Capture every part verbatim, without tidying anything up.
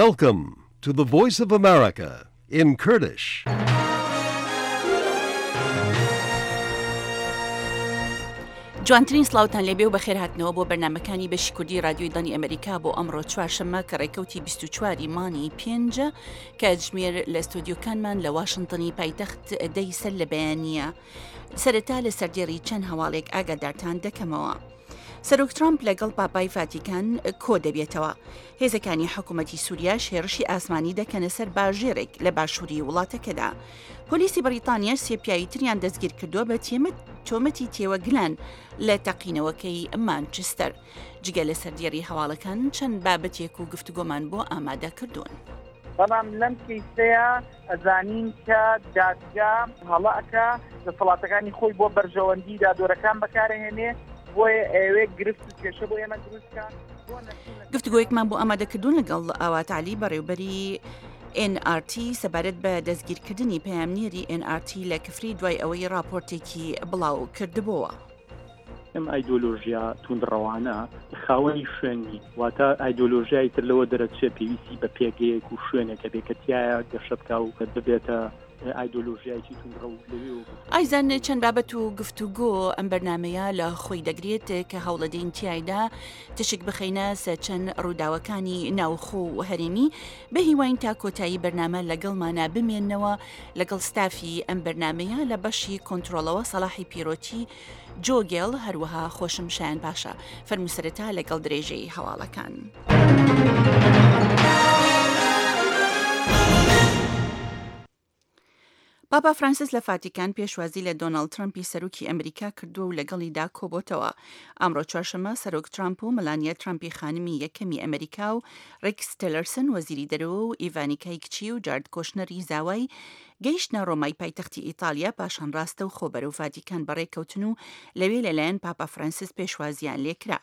Welcome to the Voice of America in Kurdish. جوانترین سڵاوتان لێبێ و بەخێرهاتنەوە بۆ بەرنمەکانی بەشی کوردی رادیۆی دەنگی ئەمریکا بۆ ئەمڕۆ چوارشەممە کە ڕێکەوتی بیست و چوار ی مانگی پێنجە کاتژمێر لە ستۆدیۆکانمان لە واشنتنی پایتەخت دەی سەر لە بەیانییە. سەرەتا لە سەردێڕی چەند هەواڵێک ئاگادارتان دەکەمەوە. سەرۆک ترامپ لەگەڵ پاپای فاتیکان کۆ دەبێتەوە. هێزەکانی حکوومەتی سووریاش هێرشی ئاسمانی دەکەنە سەر باژێرێک لە باشووری وڵاتەکەدا. پۆلیسی بەریتانیاش سێ پیاوی تریان دەستگیر کردووە بە تۆمەتی تێوەگلان لە تەقینەوەکەی مانچستەر. جگە لە سەردێڕی هەواڵەکان چەند بابەتێک و گفتوگۆمان بۆ ئامادە کردوون. بەڵام لەم کەیسەیە ئەزانین کە دادگا هەڵە ئەکا، دەسەڵاتەکانی خۆی بۆ بەرژەوەندی دادوەرەکان بەکارهێنێ، بۆیە ئەوێ گرفت و کێشە بۆ ئێمە دروست بکا. گفتوگۆیەکمان بۆ ئامادەکردوون لەگەڵ ئاوات عەلی بەڕێوبەری ئێن ئاڕ تی سەبارەت بە دەستگیرکردنی پەیامنێری ئێن ئاڕ تی لە کفری دوای ئەوەی راپۆرتێکی بڵاو کردبۆوە. ئەم ئایدۆلۆژیا توندڕەوانە خاوەنی شوێن نین، واتە ئایدۆلۆژیای تر لەوە دەرەچێت پێویستی بە پێگەیەک و شوێنێکە بێ کە تیایە گەشە بکا و ببێتە ئایدۆلۆژیایەکی توندڕەو لەوێوە بچێت. ئایزان چەند بابەت و گفتوگۆ ئەم بەرنمەیە لە خۆی دەگرێت کە هەوڵەدەین تیایدا تشک بخەینە سەر چەند ڕووداوەکانی ناوخۆ و هەرێمی. بە هیواین تا کۆتایی بەرنامە لەگەڵمانە بمێننەوە. لەگەڵ ستافی ئەم بەرنمەیە لە بەشی کۆنترۆڵەوە سەڵاحی پیرۆتی، جۆگێڵ، هەروەها خۆشم شایان پاشا. فەرموو سەرەتا لەگەڵ درێژەی هەواڵەکان. پاپا فرانسیس لە فاتیکان پێشوازی لە دۆناڵد ترەمپی سەرۆکی ئەمریکا کردووە و لەگەڵیدا کۆبۆتەوە. ئەمڕۆ چوارشەممە سەرۆک ترامپ و ملانیا ترامپی خانمی یەکەمی ئەمریکا و ڕیکس تێلەرسن وەزیری دەرەوە و ئیڤانیکای کچی و جارد کۆشنەری زاوای گەیشتنە ڕۆمای پایتەختی ئیتالیا، پاشان ڕاستە و خۆ بەرەو ڤاتیکان بەڕێکەوتن و لەوێ لەلایەن پاپا فرانسیس پێشوازیان لێکرا.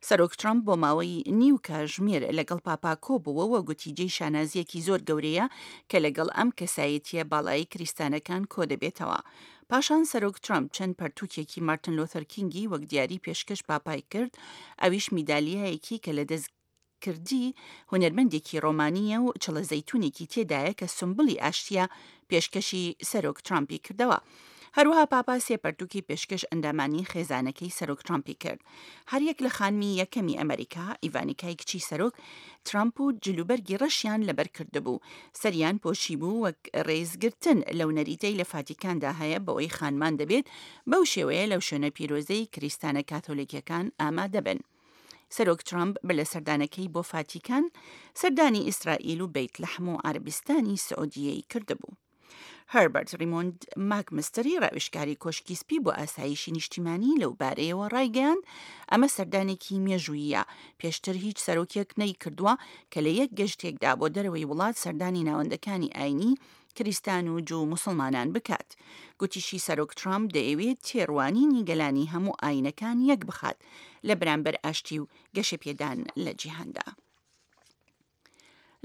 سەرۆک ترامپ بۆ ماوەی نیو کاژمێر لەگەڵ پاپا کۆبووەوە و گوتی جێی شانازییەکی زۆر گەورەیە کە لەگەڵ ئەم کەسایەتیە باڵایی کریستانەکان کۆدەبێتەوە. پاشان سەرۆک ترامپ چەند پەرتوکێکی مارتن لۆثەر کینگی وەک دیاری پێشکەش پاپای کرد، ئەویش میدالیایەکی کە لە دەستکردی هونەرمەندێکی ڕۆمانییە و چڵە زەیتونێکی تێدایە کە سمبلی ئاشتیە پێشکەشی سەرۆک ترامپی کردەوە. هەروەها پاپا سێ پەرتوکی پێشکەش ئەندامانی خێزانەکەی سەرۆک ترامپی کرد. هەریەک لە خانمی یەکەمی ئەمریکا، ئیڤانیکای کچی سەرۆک ترامپ و جلوبەرگی ڕەشیان لەبەر کردبوو، سەریان پۆشی بوو وەک ڕێزگرتن لەو نەریتەی لە فاتیکاندا هەیە بەوەی خانمان دەبێت بەو شێوەیە لەو شوێنە پیرۆزەی کریستانە کاتۆلیکیەکان ئامادە بن. سەرۆک ترامپ بە لە سەردانەکەی بۆ فاتیکان سەردانی ئیسرائیل و بەیت لەحم و عەرەبستانی سعودیەی کردبوو. هەربەرت ڕیمۆند ماکمستری ڕاوێژکاری کۆشکی سپی بۆ ئاسایشی نیشتیمانی لەو بارەیەوە ڕایگەیاند ئەمە سەردانێکی مێژوویە، پێشتر هیچ سەرۆکێک نەیکردووە کە لە یەک گەشتێکدا بۆ دەرەوەی وڵات سەردانی ناوەندەکانی ئاینی کریستان و جوو مسلمانان بکات. گوتیشی سەرۆک ترامپ دەیەوێت تێڕوانینی گەلانی هەموو ئاینەکان یەک بخات لە بەرامبەر ئاشتی و گەشەپێدان لە جیهاندا.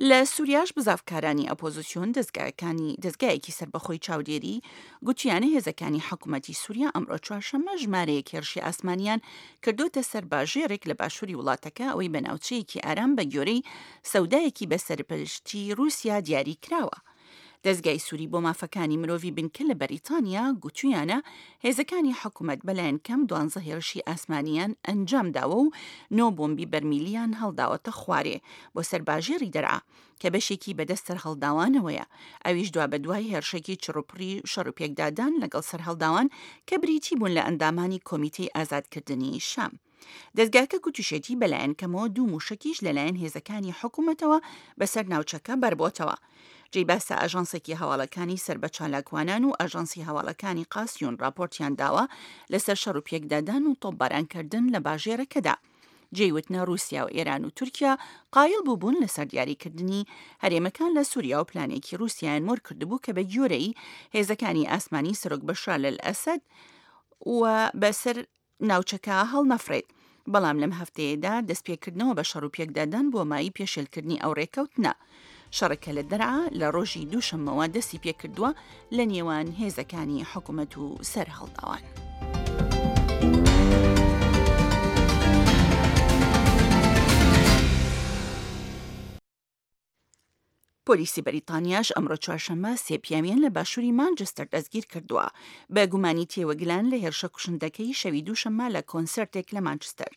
لە سووریاش بزاڤکارانی ئۆپۆزیسیۆن دەزگاکانی دەزگایەکی سەربەخۆی چاودێری گوتیانە هێزەکانی حکوومەتی سووریا ئەمڕۆ چوارشەممە ژمارەیەک هێرشی ئاسمانیان کردوتە سەر باژێرێک لە باشووری وڵاتەکە، ئەوەی بە ناوچەیەکی ئارام بە گۆرەی سەودایەکی بە سەرپەرشتی رووسیا دیاری کراوە. دەزگای سووری بۆ مافەکانی مرۆڤی بنکە لە بەریتانیا گوتویانە هێزەکانی حکوومەت بەلایەن کەم دوانزە هێرشی ئاسمانیان ئەنجام داوە و نۆ بۆمبی بەرمیلیان هەڵداوەتە خوارێ بۆ سەر باژێڕی دەرعا کە بەشێکی بەدەست سەرهەڵداوانەوەیە، ئەویش دوابەدوای هێرشێکی چڕوپڕی شەڕ و پێکدادان لەگەڵ سەرهەڵداوان کە بریتی بوون لە ئەندامانی کۆمیتەی ئازادکردنی شام. دەزگاکە گوتیشێتی بەلایەن کەمەوە دوو موشەکیش لەلایەن هێزەکانی حکوومەتەوە بەسەر ناوچەکە بەربۆتەوە. جێی باسە ئاژانسێکی هەواڵەکانی سەر بە چالاکوانان و ئاژانسی هەواڵەکانی قاسیون راپۆرتیان داوە لەسەر شەڕ و پێکدادان و تۆپبارانکردن لە باژێرەکەدا. جێی وتنە رووسیا و ئێران و تورکیا قایل بووبوون لەسەر دیاریکردنی هەرێمەکان لە سووریا و پلانێکی رووسیایان مۆر کردبوو کە بە گیۆرەی هێزەکانی ئاسمانی سەرۆک بەشار ئەسەد و بەسەر ناوچەکە هەڵنەفرێت. بەڵام لەم هەفتەیەدا دەستپێکردنەوە بە شەڕ و پێکدادان بۆ مایی پێشێلکردنی ئەو ڕێکەوتنە. شەڕەکە لە دەرعا لە ڕۆژی دووشەممەوە دەستی پێکردووە لە نێوان هێزەکانی حکوومەت و سەرهەڵداوان. پۆلیسی بەریتانیاش ئەمڕۆ چوارشەممە سێ پیاویان لە باشووری مانچستەر دەستگیر کردووە بە گومانی تێوەگلان لە هێرشە کوشندەکەی شەوی دووشەممە لە کۆنسێرتێک لە مانچستەر.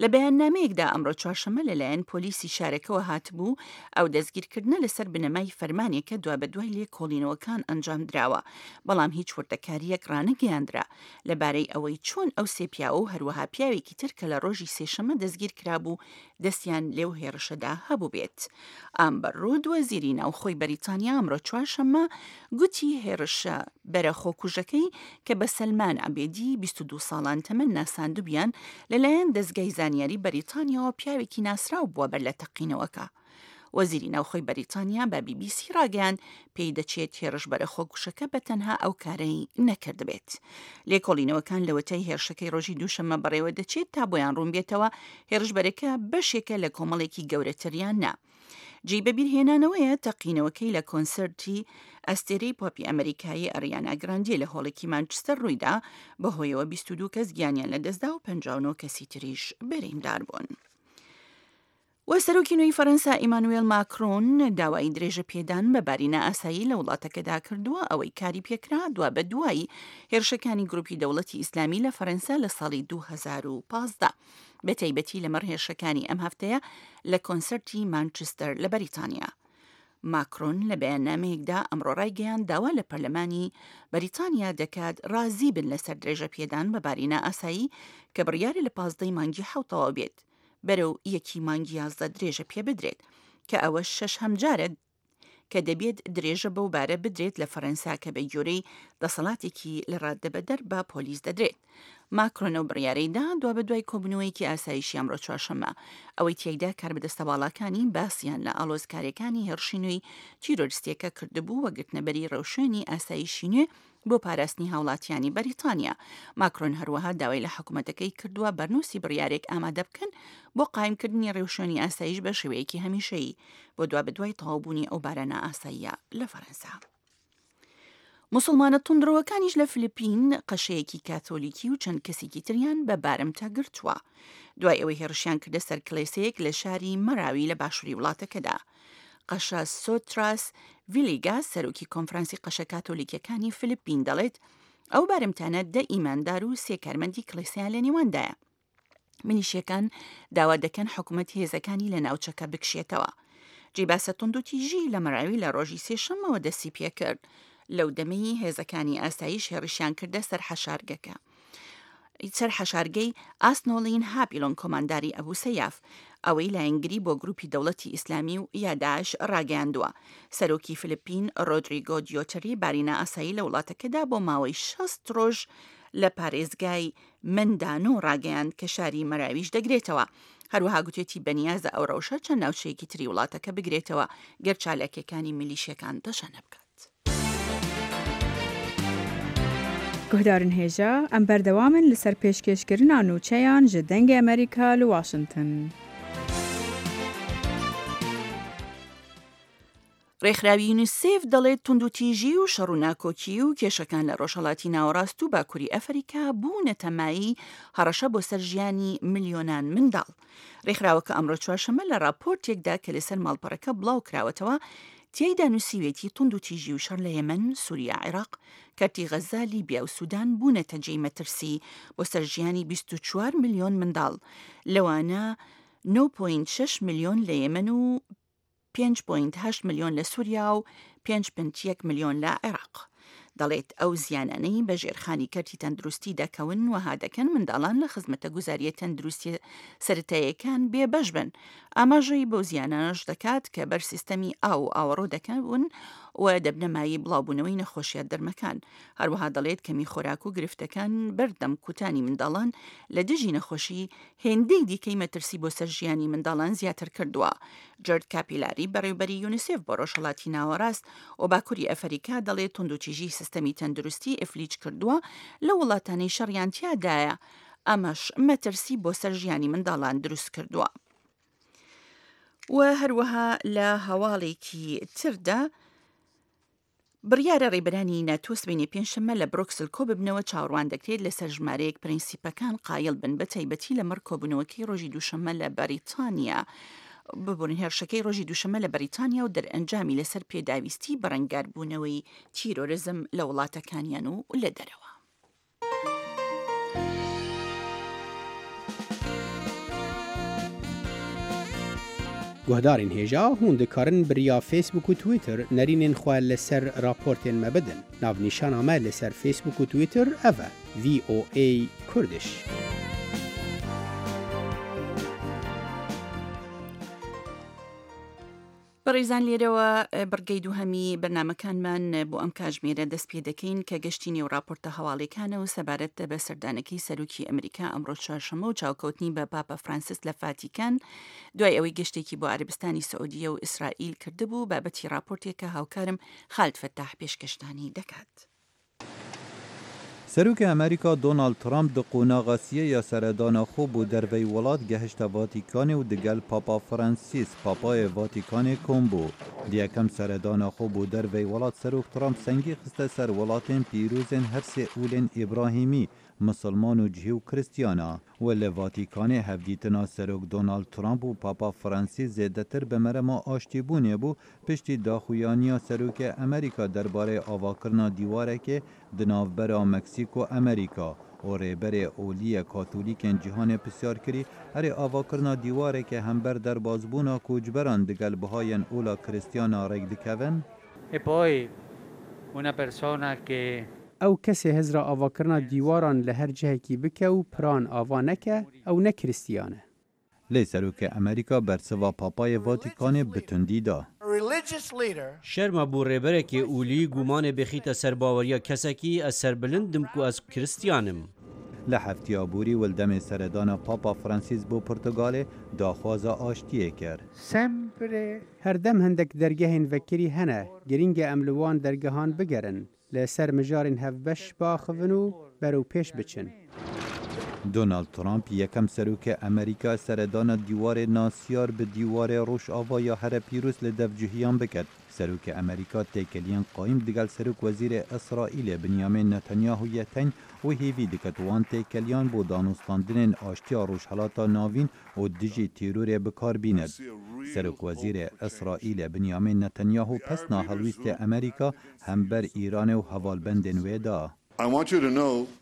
لە بەیاننامەیەکدا ئەمڕۆ چوارشەممە لەلایەن پۆلیسی شارەکەوە هاتبوو، ئەو دەستگیرکردنە لەسەر بنەمای فەرمانێکە دوابەدوای لێکۆڵینەوەکان ئەنجامدراوە، بەڵام هیچ وردەکارییەک ڕانەگەیاندرا لەبارەی ئەوەی چۆن ئەو سێ پیاوە و هەروەها پیاوێکی تر کە لە ڕۆژی سێشەممە دەستگیرکرابوو دەستیان لەو هێڕشەدا هەبووبێت. ئامبەر ڕود وەزیری ناوخۆی بەریتانیا ئەمڕۆ چوارشەممە گوتی هێڕشە بەرە خۆکوژەکەی کە بە سەلمان عەبێدی بیست و دوو ساڵان تەمەن ناساندبیان لەلایەن دەزگای زانیاری بەریتانیاوە پیاوێکی ناسراو بووە بەر لە تەقینەوەکە. وەزیری ناوخۆی بەریتانیا بە بی بی سی ڕاگەیاند پێی دەچێت هێرشبەرە خۆکوژەکە بە تەنها ئەو کارەی نەکردبێت. لێکۆڵینەوەکان لەوەتای هێرشەکەی ڕۆژی دووشەممە بەڕێوە دەچێت تا بۆیان ڕوون بێتەوە هێرشبەرەکە بەشێکە لە کۆمەڵێکی گەورەتر یان نا. جێی بەبیرهێنانەوەیە تەقینەوەکەی لە کۆنسێرتی ئەستێرەی پۆپی ئەمریکایی ئەریانا گراندی لە هۆڵێکی مانچستەر ڕوویدا، بەهۆیەوە بیست و دوو کەس گیانیان لەدەستدا و پەنجا و نۆ کەسی تریش بریندار بوون. و سەرۆکی نوێی فەرەنسا ئیمانوێل ماکرۆن داوای درێژە پێدان بە باری نائاسایی لە وڵاتەکەدا کردووە، ئەوەی کاری پێکرا دوا بە دوای هێرشەکانی گروپی دەوڵەتی ئیسلامی لە فەرەنسا لە ساڵی دوو هەزار و پازدە، بە تایبەتی لەمەڕ هێرشەکانی ئەم هەفتەیە لە کۆنسەرتی مانچستەر لە بەریتانیا. ماکرۆن لە بەیاننامەیەکدا ئەمڕۆ ڕایگەیاند داوا لە پەرلەمانی بەریتانیا دەکات ڕازی بن لەسەر درێژە پێدان بە باری نائاسایی کە بڕیارە لە پازدەی مانگی حەوت تەواو بێت بەرەو یەکی مانگی یازدە درێژە پێ بدرێت، کە ئەوە شەش هەمجارە کە دەبێت درێژە بەو بارە بدرێت لە فەرەنسا کە بە گوێرەی دەسەڵاتێکی لە ڕاددەبەدەر بە پۆلیس دەدرێت. ماکرۆن ئەو بڕیارەی دا دوابەدوای کۆبوونەوەیەکی ئاسایشی ئەمڕۆ چوارشەممە، ئەوەی تیایدا کاربەدەستە باڵاکانی باسیان لە ئاڵۆزکاریەکانی هێڕشی نوێی تیرۆریستیەکە کردبوو و گرتنەبەری ڕێوشوێنی ئاسایشی نوێ بۆ پاراستنی هاوڵاتیانی بەریتانیا. ماکرۆن هەروەها داوای لە حکوومەتەکەی کردووە بەرنووسی بڕیارێک ئامادە بکەن بۆ قایمکردنی ڕێوشوێنی ئاسایش بە شێوەیەکی هەمیشەیی بۆ دوابەدوای تەواوبوونی ئەو بارە نائاساییە لە فەرەنسا. مسلمانە توندڕەوەکانیش لە فلیپین قەشەیەکی کاتۆلیکی و چەند کەسێکی تریان بە بارمتە گرتووە دوای ئەوەی هێڕشیان کردە سەر کلێسەیەک لە شاری مەراوی لە باشووری وڵاتەکەدا. قەشە سۆتراس ڤیلیگا سەرۆکی کۆنفرانسی قەشە کاتۆلیکیەکانی فلیپین دەڵێت ئەو بارمتانە دە ئیماندار و سێ کارمەندی کڵێسەیان لە نێواندایە. میلیشیەکان داوا دەکەن حکوومەت هێزەکانی لە ناوچەکە بکشێتەوە. جێی باسە توندوتیژی لە مەراوی لە ڕۆژی سێشەممەوە دەستی پێکرد لەو دەمەی هێزەکانی ئاسایش هێڕشیان کردە سەر حەشارگەکە. سەر حەشارگەی ئاسنۆلین هاپیلۆن کۆمانداری ئەبوو سەیاف ئەوەی لایەنگری بۆ گروپی دەوڵەتی ئیسلامی و یا داعش ڕاگەیاندووە. سەرۆکی فلیپین ڕۆدریگۆ دیۆتەری باری نائاسایی لە وڵاتەکەدا بۆ ماوەی شەست ڕۆژ لە پارێزگای مندانۆ ڕاگەیاند کە شاری مەراویش دەگرێتەوە. هەروەها گوتێتی بەنیازە ئەو ڕەوشە چەند ناوچەیەکی تری وڵاتەکە بگرێتەوە گەر چالاکیەکانی میلیشیەکان تەشەنە بکات. گوهدارن هێژا ئەم بەردەوامن لەسەر پێشکێشکردنا نوچەیان ji دەنگê Amerîka li Washington. ڕێکخراوی یونیسێف دەڵێت توندوتیژی و شەڕ و ناکۆکی و کێشەکان لە ڕۆژهەڵاتی ناوەڕاست و باکووری ئەفریکا بوونەتە مایەی هەڕەشە بۆ سەر ژیانی ملیۆنان منداڵ. ڕێکخراوەکە ئەمڕۆ چوارشەممە لە ڕاپۆرتێکدا کە لەسەر ماڵپەڕەکە بڵاو کراوەتەوە تیایدا نووسیوێتی توندوتیژی و شەڕ لە یەمەن، سووریا، عێراق، کەرتی غەزە، لیبیا و سودان بوونەتە جێی مەترسی بۆ سەر ژیانی بیست و چوار ملیۆن منداڵ، لەوانە نۆ پۆینت شەش ملیۆن لە یەمەن و پێنج پۆینت هەشت ملیۆن لە سووریا و پێنج پۆینت یەک ملیۆن لە عێراق. دەڵێت ئەو زیانانەی بە ژێرخانی کەرتی تەندروستی دەکەون وەها دەکەن منداڵان لە خزمەتە گوزاریە تەندروستیە سەرەتاییەکان بێبەش بن. ئاماژەی بەو زیانانەش دەکات کە بەر سیستەمی ئاو و ئاوەڕۆ دەکەون و دەبنە مایەی بڵاوبوونەوەی نەخۆشیە دەرمەکان. هەروەها دەڵێت کەمی خۆراک و گرفتەکان بەردەم کوتانی منداڵان لە دژی نەخۆشی هێندەی دیکەی مەترسی بۆ سەر ژیانی منداڵان زیاتر کردووە. جەرد کاپیلاری بەڕێوبەری یونیسێف بۆ ڕۆژهەڵاتی ناوەڕاست و باکووری ئەفریکا دەڵێت توندوتیژی سیستەمی تەندروستی ئیفلیج کردووە لە وڵاتانەی شەڕیان تیادایە، ئەمەش مەترسی بۆ سەر ژیانی منداڵان دروست کردووە. و هەروەها لە هەواڵێکی تردا بڕیارە ڕێبەرانی ناتۆ سبەینێ پێنجشەممە لە برۆکسل کۆ ببنەوە. چاوەڕوان دەکرێت لەسەر ژمارەیەک پرینسیپەکان قایل بن، بە تایبەتی لەمەڕ کۆبوونەوەکەی ڕۆژی دووشەممە لە بەریتانیا. ببورن هێرشەکەی ڕۆژی دووشەممە لە بەریتانیا و دەرئەنجامی لەسەر پێداویستی بەرەنگاربوونەوەی تیرۆرزم لە وڵاتەکانیان و لە دەرەوە. Guhdarên hêja hûn dikarin bi riya Facebook û Twitter nerînên xwe li ser raportên me bidin. Navnîşana me li ser Facebook û Twitter ev e: V O A Kurdish. بەڕێزان لێرەوە بڕگەی دووهەمی بەرنامەکانمان بۆ ئەم کاژمێرە دەست پێ دەکەین کە گەشتی نێو راپۆرتە هەواڵیەکانە و سەبارەت بە سەردانەکەی سەرۆکی ئەمریکا ئەمڕۆ چوارشەممە و چاوکەوتنی بە پاپا فرانسیس لە فاتیکان دوای ئەوەی گەشتێکی بۆ عەرەبستانی سعودیە و ئیسرائیل کردبوو. بابەتی راپۆرتێکە هاوکارم خالد فەتاح پێشکەشتانی دەکات. سەرۆکی ئەمریکا دۆناڵد ترامپ di qonaxa siyê ya seredana xwe bo derveyî welat gehişte Vatîkanê û digel Papa Fransîs Papayê Vatîkanê kom bû. Di yekem seredana xwe bo derveyî welat Serok Trump sengî xiste ser welatên pîrozên her sê olên Îbrahîmî, Misilman û cihî û Kristiyana. û li Vatîkanê hevdîtina Serok Donald Trump û Papa Fransîs zêdetir bi merema aştîbûnê bû piştî daxuyaniya Serokê Amerîka derbarê avakirina dîwarekê di navbera Meksîk û Amerîka û rêberê oliyê Katolîkên cîhanê pisyar kirî erê avakirina dîwarekê hember derbazbûna koçberan digel bihayên ola Kristiyana rêk dikevin? E poi una persona che Ew kesê hizra avakirina dîwaran li her cihekî bike û piran ava neke, ew ne Kristiyan e. Lê Serokê Amerîka bersiva Papayê Vatîkanê bi tundî da. Şerma bû rêberekê olî gumanê bêxîte ser baweriya kesekî ez serbilind dim ku ez Kristiyan im. Li heftiya borî û li demê seredana Papa Fransîs bo Portugalê daxwaza aştiyê kir. Her dem hindek dergehên vekirî hene, girîng e em li wan dergehan bigerin. Li ser mijarên hevbeş biaxivin û berew pêş biçin. Donald Trump yekem serokê Amerîka seredana dîwarê nasiyar bi dîwarê Rojava ya here pîroz li devcûhiyan biket. Serokê Amerîka têkeliyên qayîm digel Serokwezîrê Îsraîlê Benyamin Netanyahu yeteng û hêvî diket wan têkeliyan bo danûstandinên aştiya Rojhilata Navîn û dijî terorê bikar bîne. Serokwezîrê Îsraîlê Benyamin Netanyahu pesna helwîstê Amerîka hember Îranê û hevalbendên wê da.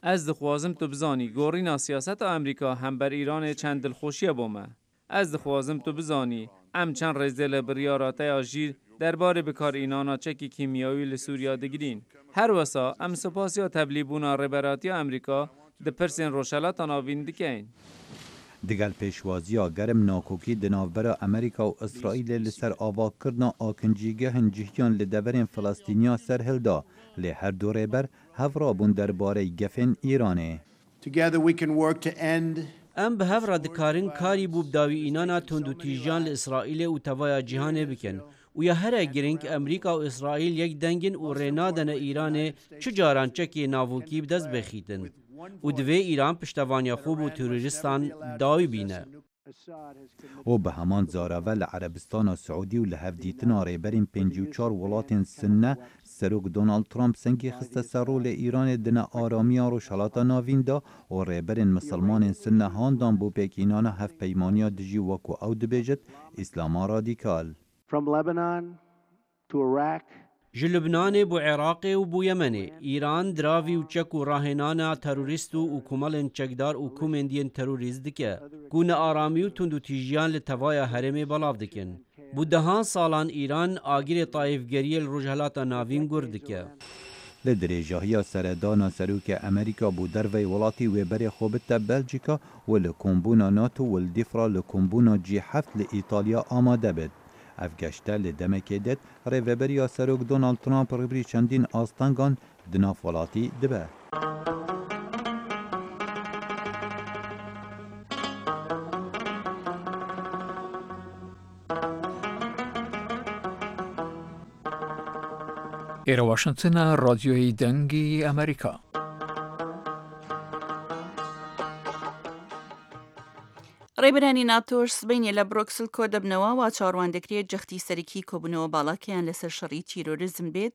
Ez dixwazim tu bizanî gorîna siyaseta Amerîka hember Îranê çend dilxweşiye bo me. Ez dixwazim tu bizanî em çend rêzê li biryara te ya jîr derbarê bikarînana çekî kîmyawî li Sûriya digirîn. Her wesa em spasiya tevlîbûna rêberatiya Amerîka di pirsên Rojhilata Navîn dikein. Digel pêşwaziya germ nakokî di navbera Amerîka û Îsraîlê li ser avakirina akincîgehên cihyan li deverên Filistîniya serhilda lê her du rêber hevrabûn derbarê gefên Îranê. Em bi hev re dikarin karî bû bi dawî înana tundûtîjiyan li Îsraîlê û tevaya cîhanê bikin. Û ya here giring Amerîka û Îsraîl yek dengin û rê nadene Îranê çi caran çekê navokî bi dest bixîtin. û divê Îran piştevaniya xwe bo terorîstan dawî bîne. û bi heman zarave li Erebistana Siûdî û li hevdîtina rêberên pêncî û çar welatên Sinne Serok Donald Trump sengî xiste ser rolê Îranê di nearamiya Rojhilata Navîn da û rêberên Misilmanên Sinne handan bo pêkînana hevpeymaniya dijî wekû ew dibêjit Îslama radîkal. From Lebanon to Iraq, Ji Lubnanê bo Iraqê û bo Yemenê, Îran diravî û çek û rahênana terorîst û komelên çekdar û komên terorîst dike ku nearamî û tundûtîjiyan li tevaya herêmê belav dikin. Bi dehan salan Îran agirê taîfgeriyê li Rojhilata Navîn gur dike. Li dirêjahiya seredana Serokê Amerîka bo derveyî welatî wê berê xwe bide Belçîka û li kombûna NATO û li dîfra li kombûna G heft li Îtalya amade bit. Ev geşte li demekê det rêveberiya Serok Donald Trump rêberî çendîn astengan di nav welatî dibe. ئێرە واشنگتنە ڕادیۆی دەنگی ئەمریکا. ڕێبەری ڕێبەرانی ناتۆش سبەینێ لە برۆکسل کۆدەبنەوە، وا چاوەڕوان دەکرێت جەختی سەرەکی کۆبوونەوە باڵاکەیان لەسەر شەڕی تیرۆریزم بێت،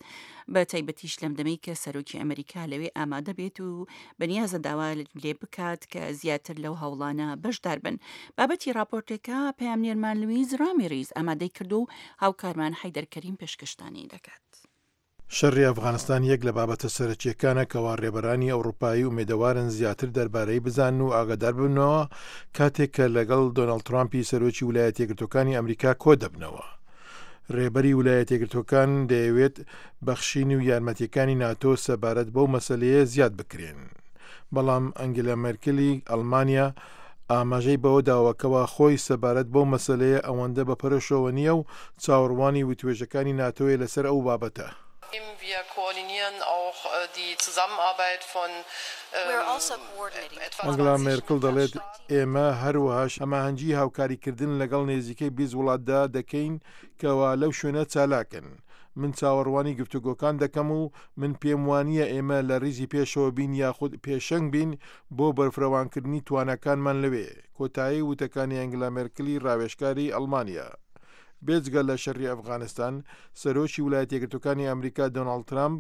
بە تایبەتیش لەم دەمەی کە سەرۆکی ئەمریکا لەوێ ئامادە بێت و بەنیازە داوا لێ بکات کە زیاتر لەو هەوڵانە بەشدار بن. بابەتی ڕاپۆرتەکە پەیامنێرمان لویز ڕامیریز ئامادەی کردووە و هاوکارمان حەیدەر کەریم پێشکەشتانی دەکات. شەڕی ئەفغانستان یەک لە بابەتە سەرەکییەکانە کەوا ڕێبەرانی ئەوڕوپایی ئومێدەوارن زیاتر دەربارەی بزانن و ئاگادار ببنەوە کاتێک کە لەگەڵ دۆناڵد ترامپی سەرۆکی ولایەتە یەکگرتووەکانی ئەمریکا کۆدەبنەوە. ڕێبەری ولایەتە یەکگرتووەکان دەیەوێت بەخشین و یارمەتییەکانی ناتۆ سەبارەت بەو مەسەلەیە زیاد بکرێن. بەڵام ئەنگێلا مێرکلی ئەڵمانیا ئاماژەی بەوە داوە کەوا خۆی سەبارەت بەو مەسەلەیە ئەوەندە بە پەرۆشەوە نییە و چاوەڕوانی وتوێژەکانی ناتۆیە لەسەر ئەو بابەتە. ئەنگلا مێرکڵ دەڵێت، ئێمە هەروەهاش هەماهەنگی هاوکاریکردن لەگەڵ نێزیکەی بیست وڵاتدا دەکەین کەوا لەو شوێنە چالاکن. من چاوەڕوانی گفتوگۆکان دەکەم و من پێم وانییە ئێمە لە ریزی پێشەوە بین یاخود پێشەنگ بین بۆ بەرفرەوانکردنی تواناکانمان لەوێ، کۆتایی وتەکانی ئەنگلا مێرکلی راوێژکاری ئەڵمانیا. بێجگە لە شەڕی ئەفغانستان، سەرۆکی ولایەتە یەکگرتووەکانی ئەمریکا دۆناڵد ترامپ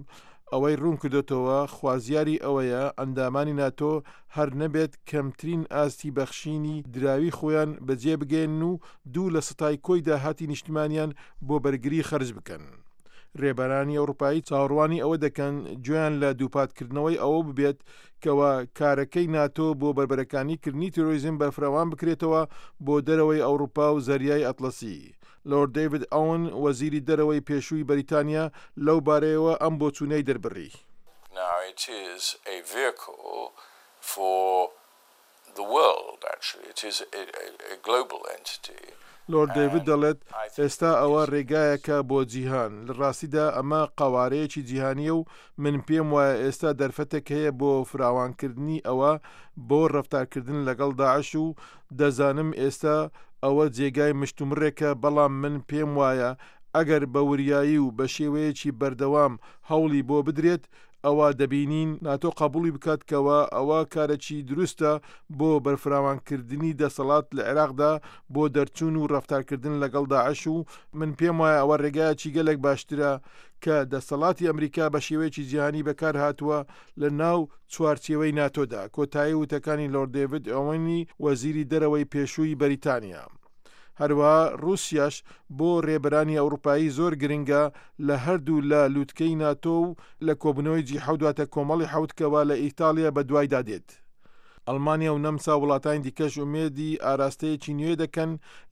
ئەوەی روونکردۆتەوە خوازیاری ئەوەیە ئەندامانی ناتۆ هەر نەبێت کەمترین ئاستی بەخشینی دراوی خۆیان بەجێ بگەیەنن و دوو لە سەتای کۆی داهاتی نیشتمانیان بۆ بەرگری خەرج بکەن. رێبەرانی ئەوڕوپایی چاوەڕوانی ئەوە دەکەن گوێیان لە دووپاتکردنەوەی ئەوە ببێت کەوا کارەکەی ناتۆ بۆ بەربەرەکانی کردنی تیرۆریزم بەرفراوان بکرێتەوە بۆ دەرەوەی ئەوڕوپا و زەریای ئەتڵەسی. لۆرد دەیڤد ئۆون، وەزیری دەرەوەی پێشووی بەریتانیا لەو بارەیەوە ئەم بۆچوونەی دەربڕی. لۆرد دەیڤد دەڵێت، ئێستا ئەوە رێگایەکە بۆ جیهان، لە راستیدا ئەمە قەوارەیەکی جیهانییە و من پێم وایە ئێستا دەرفەتێک هەیە بۆ فراوانکردنی ئەوە بۆ رەفتارکردن لەگەڵ داعش و دەزانم ئێستا ئەوە جێگای مشتومڕێکە، بەڵام من پێم وایە ئەگەر بە وریایی و بە شێوەیەکی بەردەوام هەوڵی بۆ بدرێت ئەوا دەبینین ناتۆ قەبوڵی بکات کەوا ئەوە کارێکی دروستە بۆ بەرفراوانکردنی دەسەڵات لە عێراقدا بۆ دەرچوون و ڕەفتارکردن لەگەڵ داعش و من پێم وایە ئەوە ڕێگایەکی گەلێک باشترە کە دەسەڵاتی ئەمریکا بە شێوەیەکی جیهانی بەکار هاتووە لە ناو چوارچێوەی ناتۆدا، کۆتایی وتەکانی لۆرد دێڤد ئۆوێنی وەزیری دەرەوەی پێشووی بەریتانیا. هەروەها ڕووسیاش بۆ رێبەرانی ئەوڕوپایی زۆر گرنگە لە هەردوو لە لوتکەی ناتۆ و لە کۆبوونەوەی جی حەوت واتە کۆمەڵی حەوت کەوا لە ئیتاڵیا بەدوایدا دێت. ئەڵمانیا و نەمسا و وڵاتانی دیکەش ئومێدی ئاراستەیەکی نوێ دەکەن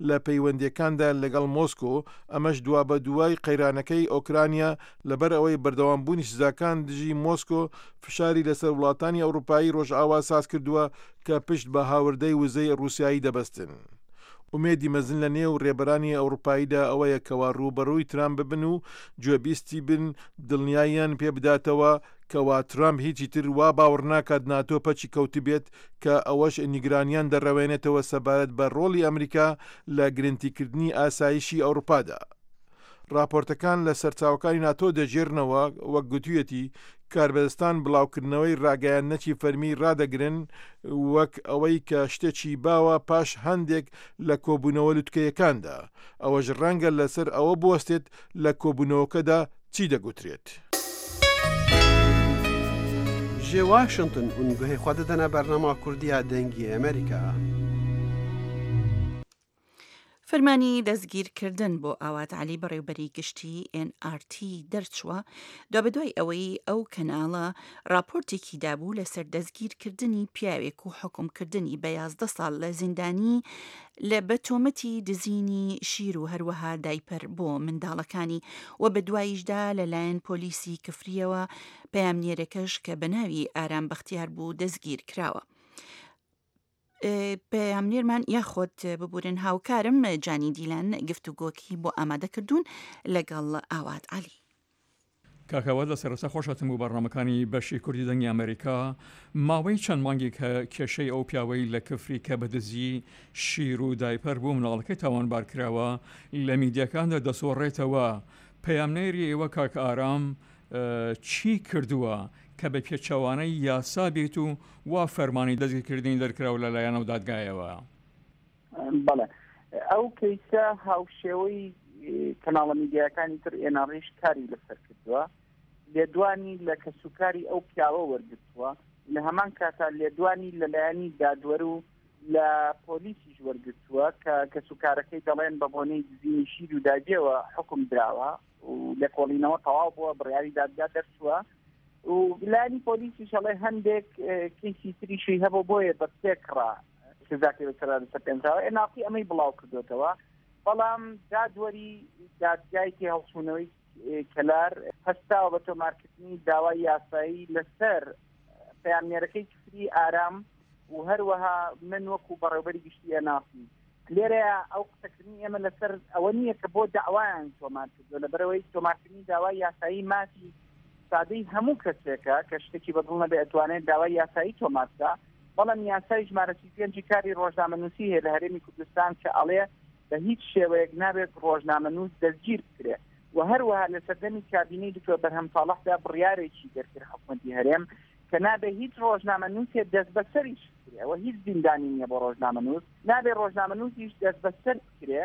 لە پەیوەندییەکاندا لەگەڵ مۆسکۆ، ئەمەش دوابەدوای قەیرانەکەی ئۆکرانیا لەبەر ئەوەی بەردەوامبوونی سزاکان دژی مۆسکۆ فشاری لەسەر وڵاتانی ئەوڕوپایی ڕۆژئاوا سازکردووە کە پشت بە هاوردەی وزەی ڕووسیایی دەبەستن. ئومێدی مەزن لە نێو رێبەرانی ئەوڕوپاییدا ئەوەیە کەوا رووبەڕووی ترامپ ببن و گوێبیستی بن دڵنیاییان پێ بداتەوە کەوا ترامپ هیچی تر وا باوەڕناکات ناتۆ پەکی کەوتبێت کە ئەوەش نیگرانیان دەڕەوێنێتەوە سەبارەت بە رۆڵی ئەمریکا لە گرنتیکردنی ئاسایشی ئەوڕوپادا. ڕاپۆرتەکان لە سەرچاوەکانی ناتۆ دەگێرنەوە، وەک گوتویەتی، کاربەدەستان بڵاوکردنەوەی ڕاگەیاندنەکی فەرمی ڕادەگرن وەک ئەوەی کە شتێکی باوە پاش هەندێک لە کۆبوونەوە لوتکەیەکاندا، ئەوەش ڕەنگە لەسەر ئەوە بوەستێت لە کۆبوونەوەکەدا چی دەگوترێت. Ji Washington hûn guhê xwe didine bernama Kurdî ya Dengê Amerîka. فەرمانی دەستگیرکردن بۆ ئاوات عەلی بەڕێوبەری گشتی ئێن ئاڕ تی دەرچووە، دوابەدوای ئەوەی ئەو کەناڵە ڕاپۆرتێکی دابوو لەسەر دەستگیرکردنی پیاوێک و حوکمکردنی بە یازدە ساڵ لە زیندانی لە بە تۆمەتی دزینی شیر و هەروەها دایپەر بۆ منداڵەکانی و بەدواییشدا لەلایەن پۆلیسی کفرییەوە پەیامنێرەکەش کە بە ناوی ئارام بەختیار بوو دەستگیر کراوە. پەیامنێرمان یاخود ببورن هاوکارم جانی دیلان گفتوگۆکی بۆ ئامادە کردوون لەگەڵ ئاوات عەلی. کاک ئاوات لە سەرەتا خۆشهاتن بۆ بەرنامەکانی بەشی کوردی دەنگی ئەمەریکا. ماوەی چەند مانگێکە کێشەی ئەو پیاوەی لە کفری کە بە دزی شیر و دایپەر بۆ مناڵەکەی تاوانبار کراوە لە میدیاکاندا دەسۆڕێتەوە. پەیامنێری ئێوە کاک ئارام چی کردووە کە بە پێچەوانەی یاسا بێت و وا فەرمانی دەستگیرکردنی دەرکراوە لە لایەن ئەو دادگایەوە؟ بەڵێ، ئەو کەیسە هاوشێوەی کەناڵە میدیاکانی تر ئێناڕیش کاری لەسەر کردووە، لێدوانی لە کەسوکاری ئەو پیاوە وەرگرتووە، لە هەمان کاتا لێدوانی لەلایەنی دادوەر و لە پۆلیسیش وەرگرتووە کە کەسوکارەکەی دەڵێن بە بۆنەی دزینی شیر و داگیەوە حکم دراوە و لێکۆڵینەوە تەواو بووە، بڕیاری دادگا دەرچووە. و لایەنی پۆلیسیش ئەڵێ هەندێک کەیسی تریشی هەبوو بۆیە بە پێکڕا سزاکەی بەسەردا دەسەپێنراوە. ئێناڕتی ئەمەی بڵاو کردوێتەوە، بەڵام دادوەری دادگای تێهەڵچوونەوەی کەلار هەستاوە بە تۆمارکردنی داوای یاسایی لەسەر پەیامنێرەکەی کفری ئارام و هەروەها من وەکو بەڕێوبەری گشتی ئێناڕتی. لێرەیە ئەو قسەکردنی ئێمە لەسەر ئەوە نییە کە بۆ داوایان تۆمار کردووە، لەبەرەوەی تۆمارکردنی داوای یاسایی مافی سادەی هەموو کەسێکە کە شتێکی بەدڵ نەبێ ئەتوانێت داوای یاسایی تۆمار بکا. بەڵام یاسای ژمارە سی و پێنجی کاری ڕۆژنامەنووسی هەیە لە هەرێمی کوردستان کە ئەڵێ بە هیچ شێوەیەک نابێت ڕۆژنامەنووس دەستگیر بکرێ. و هەروەها لە سەردەمی کابینەی دکتۆر بەرهەم ساڵحدا بڕیارێکی دەرکرد حکومەتی هەرێم کە نابێ هیچ ڕۆژنامەنووسێ دەستبەسەریش بکرێ، ئەوە هیچ زیندانی نییە بۆ ڕۆژنامەنووس، نابێ ڕۆژنامەنووسیش دەستبەسەر بکرێ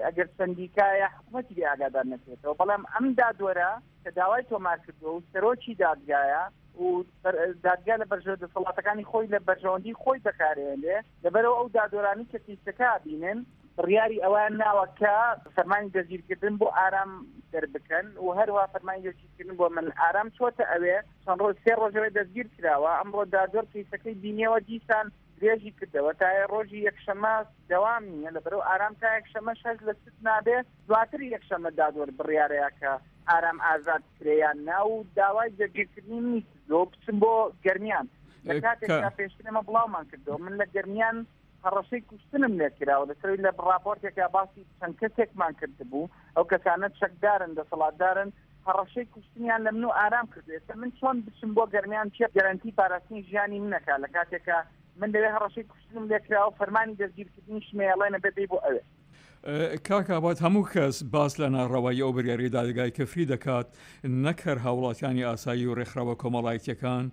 ئەگەر سندیکایە حکومەتی لێ ئاگادار نەکرێتەوە. بەڵام ئەم دادوەرە کە داوای تۆمار کردووە و سەرۆکی دادگایە و دادگا لە بەرژەوەندی دەسەڵاتەکانی خۆی لە بەرژەوەندی خۆی بەکارهێنێ، لەبەرەوە ئەو دادوەرانی کە کەیسەکە بینن بڕیاری ئەوان ناوە کە فەرمانی دەستگیرکردن بۆ ئارام دەربکەن و هەروەها فەرمانی دەستگیرکردن بۆ من. ئارام چۆتە ئەوێ چەند ڕۆژ سێ ڕۆژەوەی دەستگیر کراوە، ئەمڕۆ دادوەر کەیسەکەی بینیەوە دیسان درێژی کردەوە تا ڕۆژی یەکشەمە دەوام نییە، لەبەرەوە ئارام تا یەکشەمەش هەست لە ست نابێ، دواتر یەکشەمە دادوەر بڕیارەیە کە ئارام ئازاد کرێیان نا و داوای دەستگیرکردنی منی کردەوە بچم بۆ گەرمیان. لە کاتێکدا پێشتر ئێمە بڵاومان کردەوە من لە گەرمیان هەڕەشەی کوشتنم لێکراوە لەسەروی لە ڕاپۆرتێکا باسی چەند کەسێکمان کردبوو، ئەو کەسانە چەکدارن دەسەڵاتدارن، هەڕەشەی کوشتنیان لە من و ئارام کردو. ئێستا من چۆن بچم بۆ گەرمیان چێ گەرەنتی پاراستنی ژیانی منەکا لە کاتێکا من لەوێ هەڕەشەی کوشتنم لێکراوە، فەرمانی دەستگیرکردنیشم ئەڵێنە بێ بێ بۆ ئەوێ. کاک ئاوات، هەموو کەس باس لە ناڕەوایی ئەو بڕیاری دادگای کفری دەکات، نەک هەر هاوڵاتیانی ئاسایی و ڕێکخراوە کۆمەڵایەتیەکان،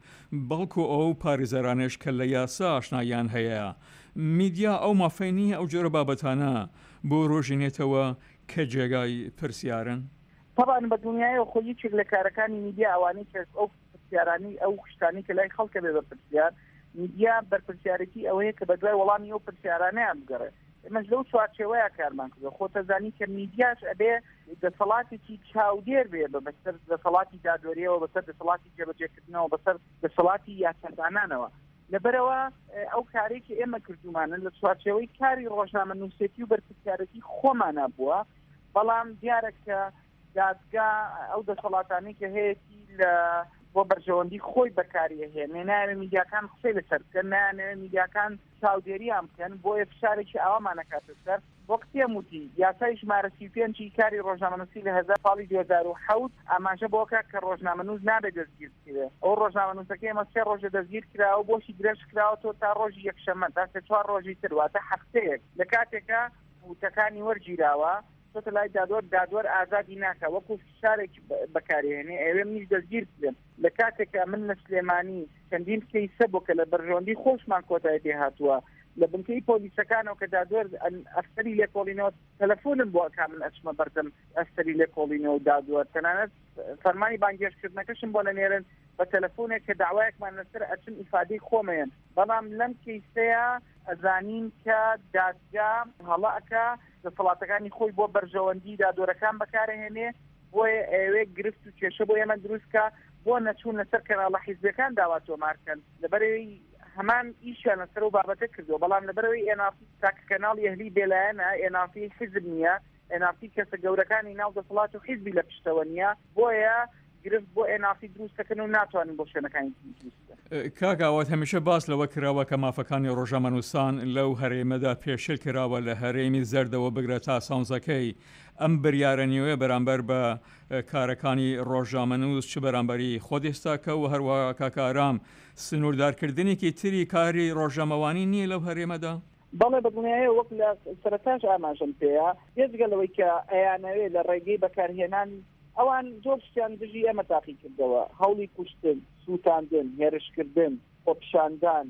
بەڵکو ئەو پارێزەرانەش کە لە یاسا ئاشناییان هەیە. میدیا ئەو مافەی نییە ئەو جۆرە بابەتانە بۆ ڕۆژینێتەوە کە جێگای پرسیارن؟ طبعا بە دڵنیایەوە خۆ یەکێک لە کارەکانی میدیا ئەوانەی کە ئەو پرسیارانی ئەو شتانەی کە لای خەڵکە بێ بە پرسیار، میدیا بەرپرسیارێتی ئەوەیە کە بەدوای وەڵامی ئەو پرسیارانەیان بگەڕێ. ئێمەش لەو چوارچێوەیە کارمان کردووە. خۆتەزانی کە میدیاش ئەبێ دەسەڵاتێکی چاودێر بێ بە بەسەر دەسەڵاتی دادوەریەوە، بەسەر دەسەڵاتی جێبەجێکردنەوە، بەسەر دەسەڵاتی یاسادانانەوە. لەبەرەوە ئەو کارێک کە ئێمە کردومانە لە چوارچێوەی کاری ڕۆژنامەنووسێتی و بەرپرسیارێتی خۆمانە بووە. بەڵام دیارە کە دادگا ئەو دەسەڵاتانەی کە هەیەتی لە بۆ بەرژەوەندی خۆی بەکاری ئەهێنێ، نایەوێ میدیاکان قسەی لەسەر بکەن، نایانەوێ میدیاکان چاودێریان بکەن، بۆیە فشارێکی ئاوامان ئەکاتە سەر. وەک پێم وتی یاسای ژمارە سی و پێنجی کاری ڕۆژنامەنووسی لە هەزار ساڵی دوو هەزار و حەوت ئاماژە بۆکە کە ڕۆژنامەنووس نابێت دەستگیر بکرێ. ئەو ڕۆژنامەنووسەکەی ئێمە سێ ڕۆژە دەستگیر کراوە، بۆشی درێژ کراوەتەوە تا ڕۆژی یەکشەممە، تا سێ چوار ڕۆژی تر، واتە هەفتەیەک. لە کاتێکە وتەکانی وەرگیراوە چۆتە لای دادوەر، دادوەر ئازادی ناکە، وەکو فشارێک بەکارهێنێ ئەوێ منیش دەستگیر بکرێم. لە کاتێکە من لە سلێمانی چەندین کەیسە بۆ کە لە بەرژەوەندی خۆشمان کۆتایی پێ هاتووە، لە بنکەی پۆلیسەکانەوە کە دادوەر ئەفسەری لێکۆڵینەوە تەلەفۆنم بۆ ئەکا من ئەچمە بەردەم ئەفسەری لێکۆڵینەوە و دادوەر، تەنانەت فەرمانی بانگهێشتکردنەکەشم بۆ نەنێرن بە تەلەفۆنێک کە داوایەکمان لەسەر ئەچم ئیفادەی خۆمەیەن. بەڵام لەم کەیسەیە ئەزانین کە دادگا هەڵە ئەکا، دەسەڵاتەکانی خۆی بۆ بەرژەوەندی دادوەرەکان بەکارهێنێ، بۆیە ئەوێ گرفت و کێشە بۆ ئێمە دروست کە بۆ نەچوون لەسەر کەناڵە حیزبەکان داوا تۆمارکەن. لەبەرەوەی هەمان ئیشیان لەسەر ئەو بابەتە کردووە، بەڵام لەبەرەوەی ئێناڕتی تاکە کەناڵی ئەهلی بێلایەنە، ئێناڕتی حیزب نییە، ئێناڕتی کەسە گەورەکانی ناو دەسەڵات و حیزبی لە پشتەوە نییە، بۆیە گرفت بۆ ئێناڕتی دروست دەکەن و ناتوانن بۆ شوێنەکانی دروست بکەن. کاک ئاوات، هەمیشە باس لەوە کراوە کە مافەکانی ڕۆژنامەنووسان لەو هەرێمەدا پێشێل کراوە، لە هەرێمی زەردەوە بگرە تا سەوزەکەی. ئەم بریارە نوێ بەرامبەر بە کارەکانی ڕۆژنامەنووس چ بەرامبەری خۆت ئێستاکە و هەروەها کاک ئارام سنووردارکردنێکی تری کاری ڕۆژنامەوانی نییە لەو هەرێمەدا؟ بەڵێ بەدڵنیایە، وەک لە سەرەتاش ئاماژەم پێیە، بێجگە لەوەی کە ئەیانەوێ لە ڕێگەی بەکارهێنانی ئەوان زۆر شتیان دژی ئێمە تاقی کردەوە، هەوڵی کوشتن، سووتاندن، هێرشکردن، خۆپیشاندان،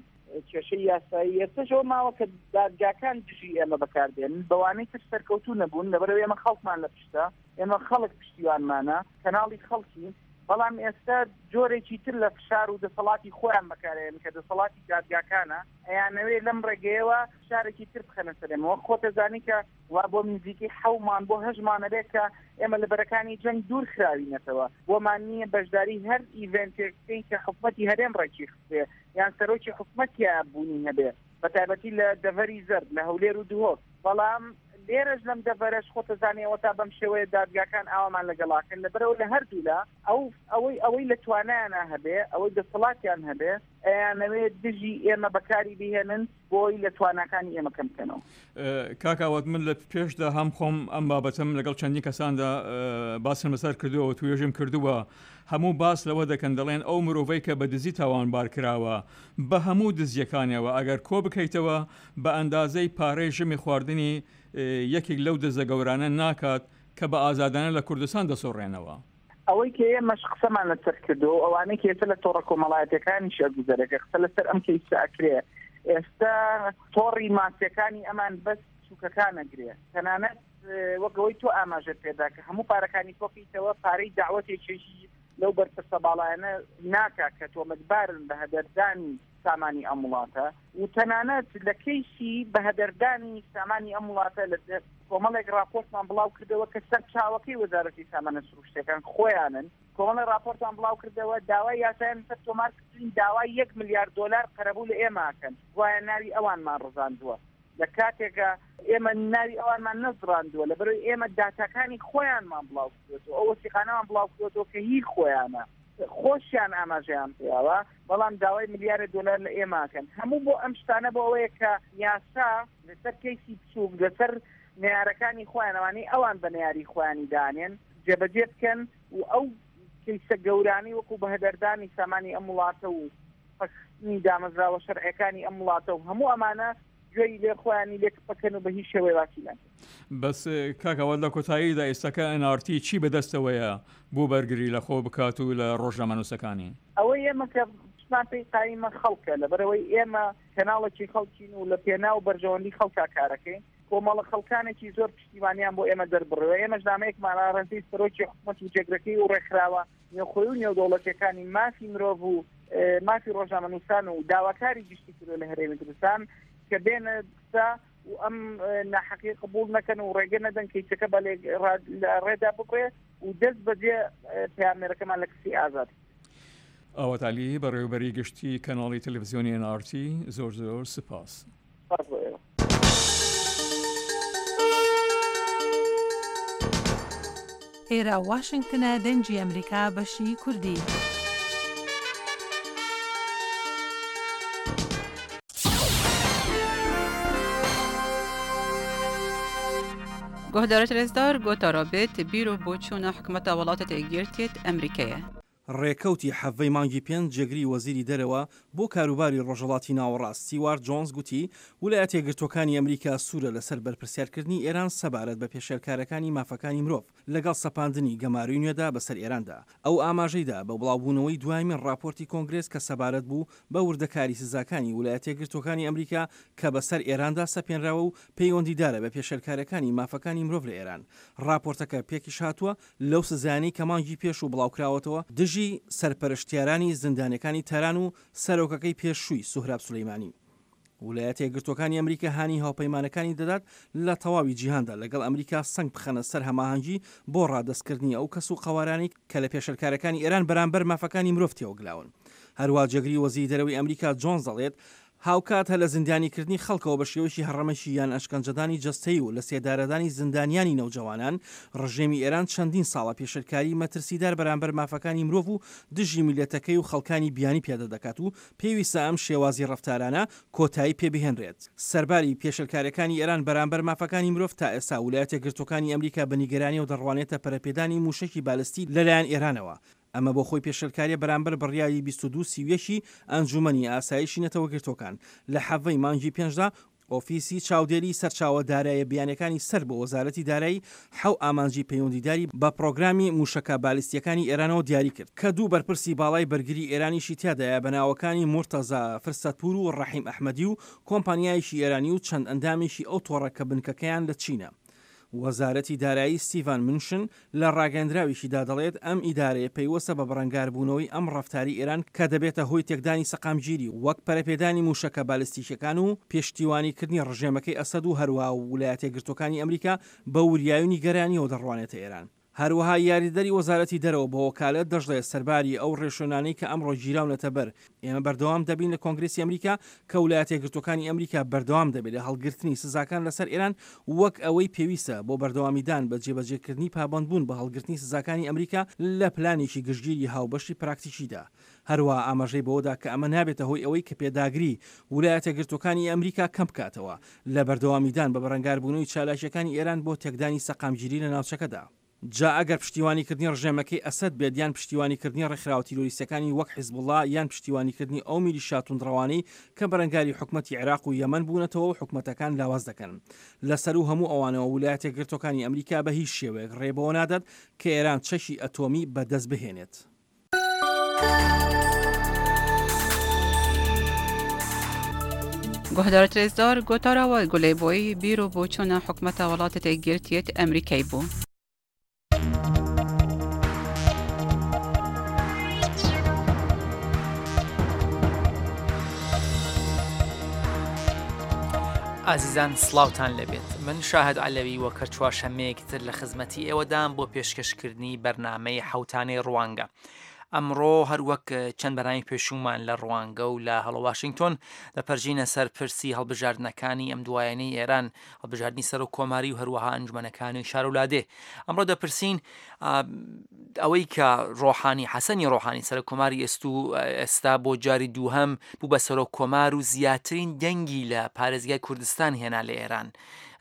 کێشەی یاسایی. ئێستاش ئەوە ماوە کە دادگاکان دژی ئێمە بەکاردێن، بەوانەی تر سەرکەوتوو نەبوون، لەبەرەوە ئێمە خەڵکمان لە پشتە، ئێمە خەڵک پشتیوانمانە، کەناڵی خەڵکی. بەڵام ئێستا جۆرێکی تر لە فشار و دەسەڵاتی خۆیان بەکارێن کە دەسەڵاتی دادگاکانە، ئەیانەوێ لەم ڕێگەیەوە فشارێکی تر بخەنە سەر ئێمە. وەک خۆتەزانی کە وا بۆ نزیکەی حەومان بۆ هەژمانە بێت کە ئێمە لە بەرەکانی جەنگ دوور خراوینەتەوە، بۆمان نییە بەشداری هەر ئیڤنتێک بکەین کە حکومەتی هەرێم ڕێکی خستێ یان سەرۆکی حکومەتیا بوونی هەبێ، بە تایبەتی لە دەڤەری زەرد لە هەولێر و دهۆک. بەڵام لێرەش لەم دەڤەرەش خۆتەزانیەوە تا بەم شێوەیە دادگاکان ئاوامان لەگەڵاکەن. لەبەرەوە لە هەردوولا ئەو ئەوەی ئەوەی لە توانایانە هەبێ، ئەوەی دەسەڵاتیان هەبێ، ئەیانەوێت دژی ئێمە بەکاری بهێنن بۆی لە تواناکانی ئێمە کەم بکەنەوە. کاک ئاوات، من لە پێشدا هەم خۆم ئەم بابەتم لەگەڵ چەندین کەساندا باسم لەسەر کردووە و توێژم کردووە، هەموو باس لەوە دەکەن دەڵێن ئەو مرۆڤەی کە بە دزی تاوانبار کراوە بە هەموو دزیەکانیەوە ئەگەر کۆ بکەیتەوە بە ئەندازەی پارەی ژمی خواردنی یەکێک لەو دزە گەورانە ناکات کە بە ئازادانە لە کوردستان دەسۆڕێنەوە. ئەوەی کە ئێمەش قسەمان لەسەر کردو، ئەوانەی کە ئێستا لە تۆڕە کۆمەڵایەتیەکانیش ئەگوزەرەکە قسە لەسەر ئەم کەیسە ئەکرێ، ئێستا تۆڕی ماسیەکانی ئەمان بەس چووکەکان ئەگرێ. تەنانەت وەک ئەوەی تۆ ئاماژەت پێدا کە هەموو پارەکانی کۆکەیتەوە، پارەی داوەتێکیش لەو بەرپرسە باڵایانە ناکا کە تۆمەتبارن بە هەدەردانی سامانی ئەم وڵاتە، و تەنانەت لە کەیسی بە هەدەردانی سامانی ئەم وڵاتە لە کۆمەڵێک راپۆرتمان بڵاو کردەوە کە سەرچاوەکەی وەزارەتی سامانە سروشتیەکان خۆیانن. کۆمەڵێک راپۆرتمان بڵاو کردەوە داوای یاسایان سەر تۆمار کردن، داوای یەک ملیار دۆلار قەرەبوو لە ئێمەکەن، گوایە ناوی ئەوانمان ڕزاندووە، لە کاتێکە ئێمە ناوی ئەوانمان نەزڕاندووە، لەبەرەوەی ئێمە داتاکانی خۆیانمان بڵاو کردوەوە، ئەو وەسیقانەمان بڵاو کردوەوە کە هی خۆیانە، خۆشیان ئاماژەیان پێیاوە، بەڵام داوای ملیارە دۆلار لە ئێمەکەن. هەموو بۆ ئەم شتانە بۆ ئەوەیە کە یاسا لەسەر کەیسی بچووک، لەسەر نەیارەکانی خۆیان، ئەوانەی ئەوان بە نەیاری خۆیانی دانێن جێبەجێ بکەن، و ئەو کەیسە گەورانەی وەکو بەهەدەردانی سامانی ئەم وڵاتە و پەکخستنی دامەزراوە شەرعیەکانی ئەم وڵاتە و هەموو ئەمانە گوێی لێ خۆیانی لێک بکەن و بە هیچ شێوەیە باسی ناکەن. بەس کاک ئاوات، لە کۆتاییدا ئێستاکە ئێن ئار تی چی بەدەستەوەیە بۆ بەرگری لە خۆ بکات و لە ڕۆژنامەنووسەکانی؟ ئەوەی ئێمە کە پشتمان پێی قایمە خەڵکە، لەبەرەوەی ئێمە کەناڵێکی خەڵکین و لە پێناو بەرژەوەندی خەڵکا کارەکەین. کۆمەڵە خەڵکانێکی زۆر پشتیوانیان بۆ ئێمە دەربڕیوە. ئێمەش نامەیەکمان ئاراستەی سەرۆکی حکومەت و جێگرەکەی و ڕێکخراوە نێوخۆی و نێودەوڵەتیەکانی مافی مرۆڤ و مافی ڕۆژنامەنووسان و داواکاری گشتی کردووە لە هەرێمی کوردستان کە بێنە قسە و ئەم ناحەقی قبوڵ نەکەن و ڕێگە نەدەن کەیسەکە بە لە ڕێدا ببڕێ و دەست بەجێ پەیامنێرەکەمان لە کسی ئازاد. ئاوات عەلی، بەڕێوەبەری گشتی کەناڵی تەلەڤزیۆنی ئێن ئار تی، زۆر زۆر سپاس. سپاس بۆ ئێوە. ئێرە واشنگتنە، دەنگی ئەمریکا، بەشی کوردی. گۆهدارت رێزدار گۆتارا بێت بیر و بۆچوونە حکومەتە وڵاتە یەکگرتیت ئەمریکایە. ڕێکەوتی حەڤەی مانگی پێنج جێگری وەزیری دەرەوە بۆ کاروباری ڕۆژهەڵاتی ناوەڕاست ستیوارت جۆنز گوتی ولایەتە یەکگرتووەکانی ئەمریکا سوورە لەسەر بەرپرسیارکردنی ئێران سەبارەت بە پێشێلکارەکانی مافەکانی مرۆڤ لەگەڵ سەپاندنی گەمارۆی نوێدا بەسەر ئێراندا. ئەو ئاماژەیدا بە بڵاوبوونەوەی دوایمین ڕاپۆرتی کۆنگرێس کە سەبارەت بوو بە وردەکاری سزاکانی ولایەتە یەکگرتووەکانی ئەمریکا کە بەسەر ئێراندا سەپێنراوە و پەیوەندیدارە بە پێشێلکارەکانی مافەکانی مرۆڤ لە ئێران. ڕاپۆرتەکە پێکیش هاتووە لەو سزایانەی کە مانگی پێشوو بڵاوکراوەتەوە دژی سەرپەرشتیارانی زیندانیەکانی تاران و سەرۆکەکەی پێشووی سوهراب سولەیمانی. ولایەتە یەکگرتووەکانی ئەمریکا هانی هاوپەیمانەکانی دەدات لە تەواوی جیهاندا لەگەڵ ئەمریکا سەنگ بخەنە سەر هەماهەنگی بۆ ڕادەستکردنی ئەو کەس و قەوارانەی کە لە پێشێلکارەکانی ئێران بەرامبەر مافەکانی مرۆڤ تێوەگلاون. هەروە جێگری وەزیری دەرەوەی ئەمریکا جۆنز دەڵێت هاوکات هەر لە زیندانیکردنی خەڵکەوە بە شێوەیەکی هەڕەمەکی یان ئەشکەنجەدانی جەستەیی و لە سێدارەدانی زیندانیانی نەوجەوانان، ڕژێمی ئێران چەندین ساڵە پێشێلکاری مەترسیدار بەرامبەر مافەکانی مرۆڤ و دژی میللەتەکەی و خەڵکانی بیانی پیادە دەکات و پێویستە ئەم شێوازی ڕەفتارانە کۆتایی پێبهێنرێت. سەرباری پێشێلکاریەکانی ئێران بەرامبەر مافەکانی مرۆڤ، تا ئێستا ولایەتە یەکگرتووەکانی ئەمریکا بە نیگەرانیەوە دەڕوانێتە پەرەپێدانی مووشەکی بالستی لەلایەن ئێرانەوە. ئەمە بۆ خۆی پێشێلکاریە بەرامبەر بڕیاری بیست و دوو سی و یەک ی ئەنجومەنی ئاسایشی نەتەوەگرتووەکان لە حەڤەی مانگی پێنجدا ئۆفیسی چاودێری سەرچاوە داراییە بیانیەکانی سەر بە وەزارەتی دارایی حەو ئامانجی پەیوەندیداری بە پڕۆگرامی مووشەکە بالیستییەکانی ئێرانەوە دیاری کرد کە دوو بەرپرسی باڵای بەرگری ئێرانیشی تیادایە بە ناوەکانی مورتەزا فرسەتپوور و ڕەحیم ئەحمەدی و کۆمپانیایەکی ئێرانی و چەند ئەندامێکی ئەو تۆڕە کە بنکەکەیان لە چینە. وەزارەتی دارایی ستیڤان منشن لە ڕاگەیەندراوێکیدا دەڵێت ئەم ئیدارەیە پەیوەستە بە بەڕەنگاربوونەوەی ئەم ڕەفتاری ئێران کە دەبێتە هۆی تێکدانی سەقامگیری وەک پەرەپێدانی مووشەکە بالستیکیەکان و پشتیوانیکردنی ڕژێمەکەی ئەسەد و هەروەها ولایەتەیەکگرتووەکانی ئەمریکا بە وریایی و نیگەرانیەوە دەڕوانێتە ئێران. هەروەها یاریدەدەری وەزارەتی دەرەوە بە وەکالەت دەشڵێت سەرباری ئەو ڕێوشوێنانەی کە ئەمڕۆ گیراونەتە بەر، ئێمە بەردەوام دەبین لە کۆنگرێسی ئەمریکا کە ولایەتەیەکگرتووەکانی ئەمریکا بەردەوام دەبێت لە هەڵگرتنی سزاکان لەسەر ئێران وەک ئەوەی پێویستە بۆ بەردەوامیدان بە جێبەجێکردنی پابەندبوون بە هەڵگرتنی سزاکانی ئەمریکا لە پلانێکی گشتگیری هاوبەشی پراکتیکیدا. هەروەها ئاماژەی بەوەدا کە ئەمە نابێتە هۆی ئەوەی کە پێداگری ولایەتەیەکگرتووەکانی ئەمریکا کەم بکاتەوە لە بەردەوامیدان بە بەرەنگاربوونەوەی چالاکییەکانی ئێران بۆ تێکدانی سەقامگیری لە ناوچەکەدا. جا ئەگەر پشتیوانیکردنی ڕژێمەکەی ئەسەد بێت یان پشتیوانیکردنی ڕێکخراوە تیرۆریستیەکانی وەک حیزبوڵا یان پشتیوانیکردنی ئەو میلیشیا توندڕەوانەی کە بەرەنگاری حکومەتی عێراق و یەمەن بوونەتەوە و حکومەتەکان لاواز دەکەن. لە سەروو هەموو ئەوانەوە ولایەتەیەکگرتووەکانی ئەمریکا بە هیچ شێوەیەک ڕێ بەوە نادات کە ئێران چەکی ئەتۆمی بە دەست بهێنێت. گۆهدارت رێزدار گۆتارا وە گولەی بۆی بیر و بۆچوونە حکومەتە وڵاتە یەکگرتیەت ئەمریکای بوو. ئازیزان سڵاوتان لێبێت من شاهد عەلەوی وەک هەر چوارشەممەیەکی تر لە خزمەتی ئێوەدام بۆ پێشکەشکردنی بەرنامەی حەوتانەی ڕوانگە ئەمڕۆ هەروەک چەند بەرنامەی پێشوومان لە ڕوانگە و لە هەڵۆ واشنگتۆن دەپەرژینە سەر پرسی هەڵبژاردنەکانی ئەم دوایانەی ئێران هەڵبژاردنی سەرۆک کۆماری و هەروەها ئەنجومەنەکانی شار و لادێ ئەمڕۆ دەپرسین ئەوەی کە ڕۆحانی حەسەنی ڕۆحانی سەرۆک کۆماری ئێستو ئێستا بۆ جاری دووهەم بوو بە سەرۆک کۆمار و زیاترین دەنگی لە پارێزگای کوردستان هێنا لە ئێران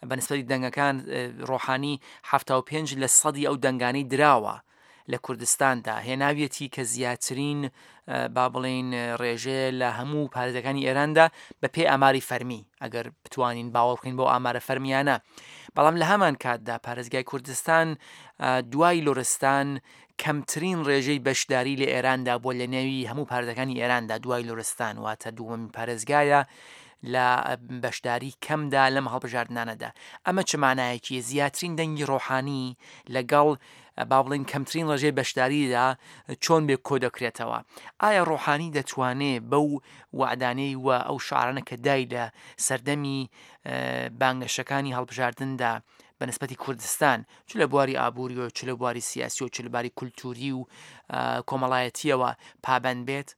بە نسبەتی دەنگەکان ڕۆحانی حەفتا و پێنج لە سەدی ئەو دەنگانەی دراوە لە کوردستاندا هێناویەتی کە زیاترین با بڵێین ڕێژەیە لە هەموو پارێزگاکانی ئێراندا بە پێی ئاماری فەرمی ئەگەر بتوانین باوەڕ بکەین بۆ ئامارە فەرمیانە بەڵام لە هەمان کاتدا پارێزگای کوردستان دوای لورستان کەمترین ڕێژەی بەشداری لە ئێراندا بووە لە نێوی هەموو پارێزگاکانی ئێراندا دوای لورستان واتە دووەمین پارێزگایە لە بەشداری کەمدا لەم هەڵبژاردنانەدا ئەمە چ مانایەکی زیاترین دەنگی ڕۆحانی لەگەڵ با بڵێین کەمترین ڕێژەی بەشداریدا چۆن بێ کۆ دەکرێتەوە ئایا ڕۆحانی دەتوانێ بەو وعدانەی و ئەو شعرانە کە دای لە سەردەمی بانگەشەکانی هەڵبژاردندا بە نسبەتی کوردستان چ لە بواری ئابووری و چ لە بواری سیاسی و چ لە باری کولتوری و کۆمەڵایەتیەوە پابند بێت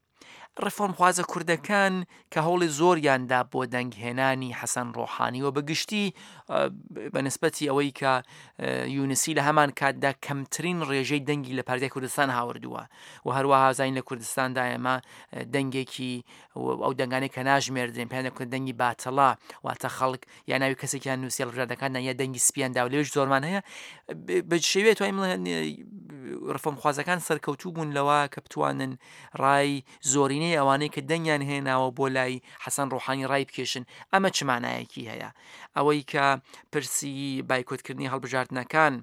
ڕێفۆرمخوازە کوردەکان کە هەوڵی زۆریان دا بۆ دەنگهێنانی حەسەن ڕۆحانی و بە گشتی بە نسبەتی ئەوەی کە یونسی لە هەمان کاتدا کەمترین ڕێژەی دەنگی لە پارێزگای کوردستان هاوردووە و هەروەها زانین لە کوردستاندا ئێمە دەنگێکی ئەو دەنگانەی کە ناژمێردرێن پێیان دەکوتن دەنگی باتڵە واتە خەڵک یا ناوی کەسێکیان نووسی هەڵبژاردنەکاندا یا دەنگی سپیان دا و لەوێش زۆرمان هەیە بە شێوەیە توانیم ڕفۆمخوازەکان سەرکەوتوو بوون لەوە کە بتوانن ڕای زۆرینەی ئەوانەی کە دەنگیان هێناوە بۆ لای حەسەن ڕۆحانی ڕای بکێشن ئەمە چ مانایەکی هەیە ئەوەی کە پرسی بایکۆتکردنی هەڵبژاردنەکان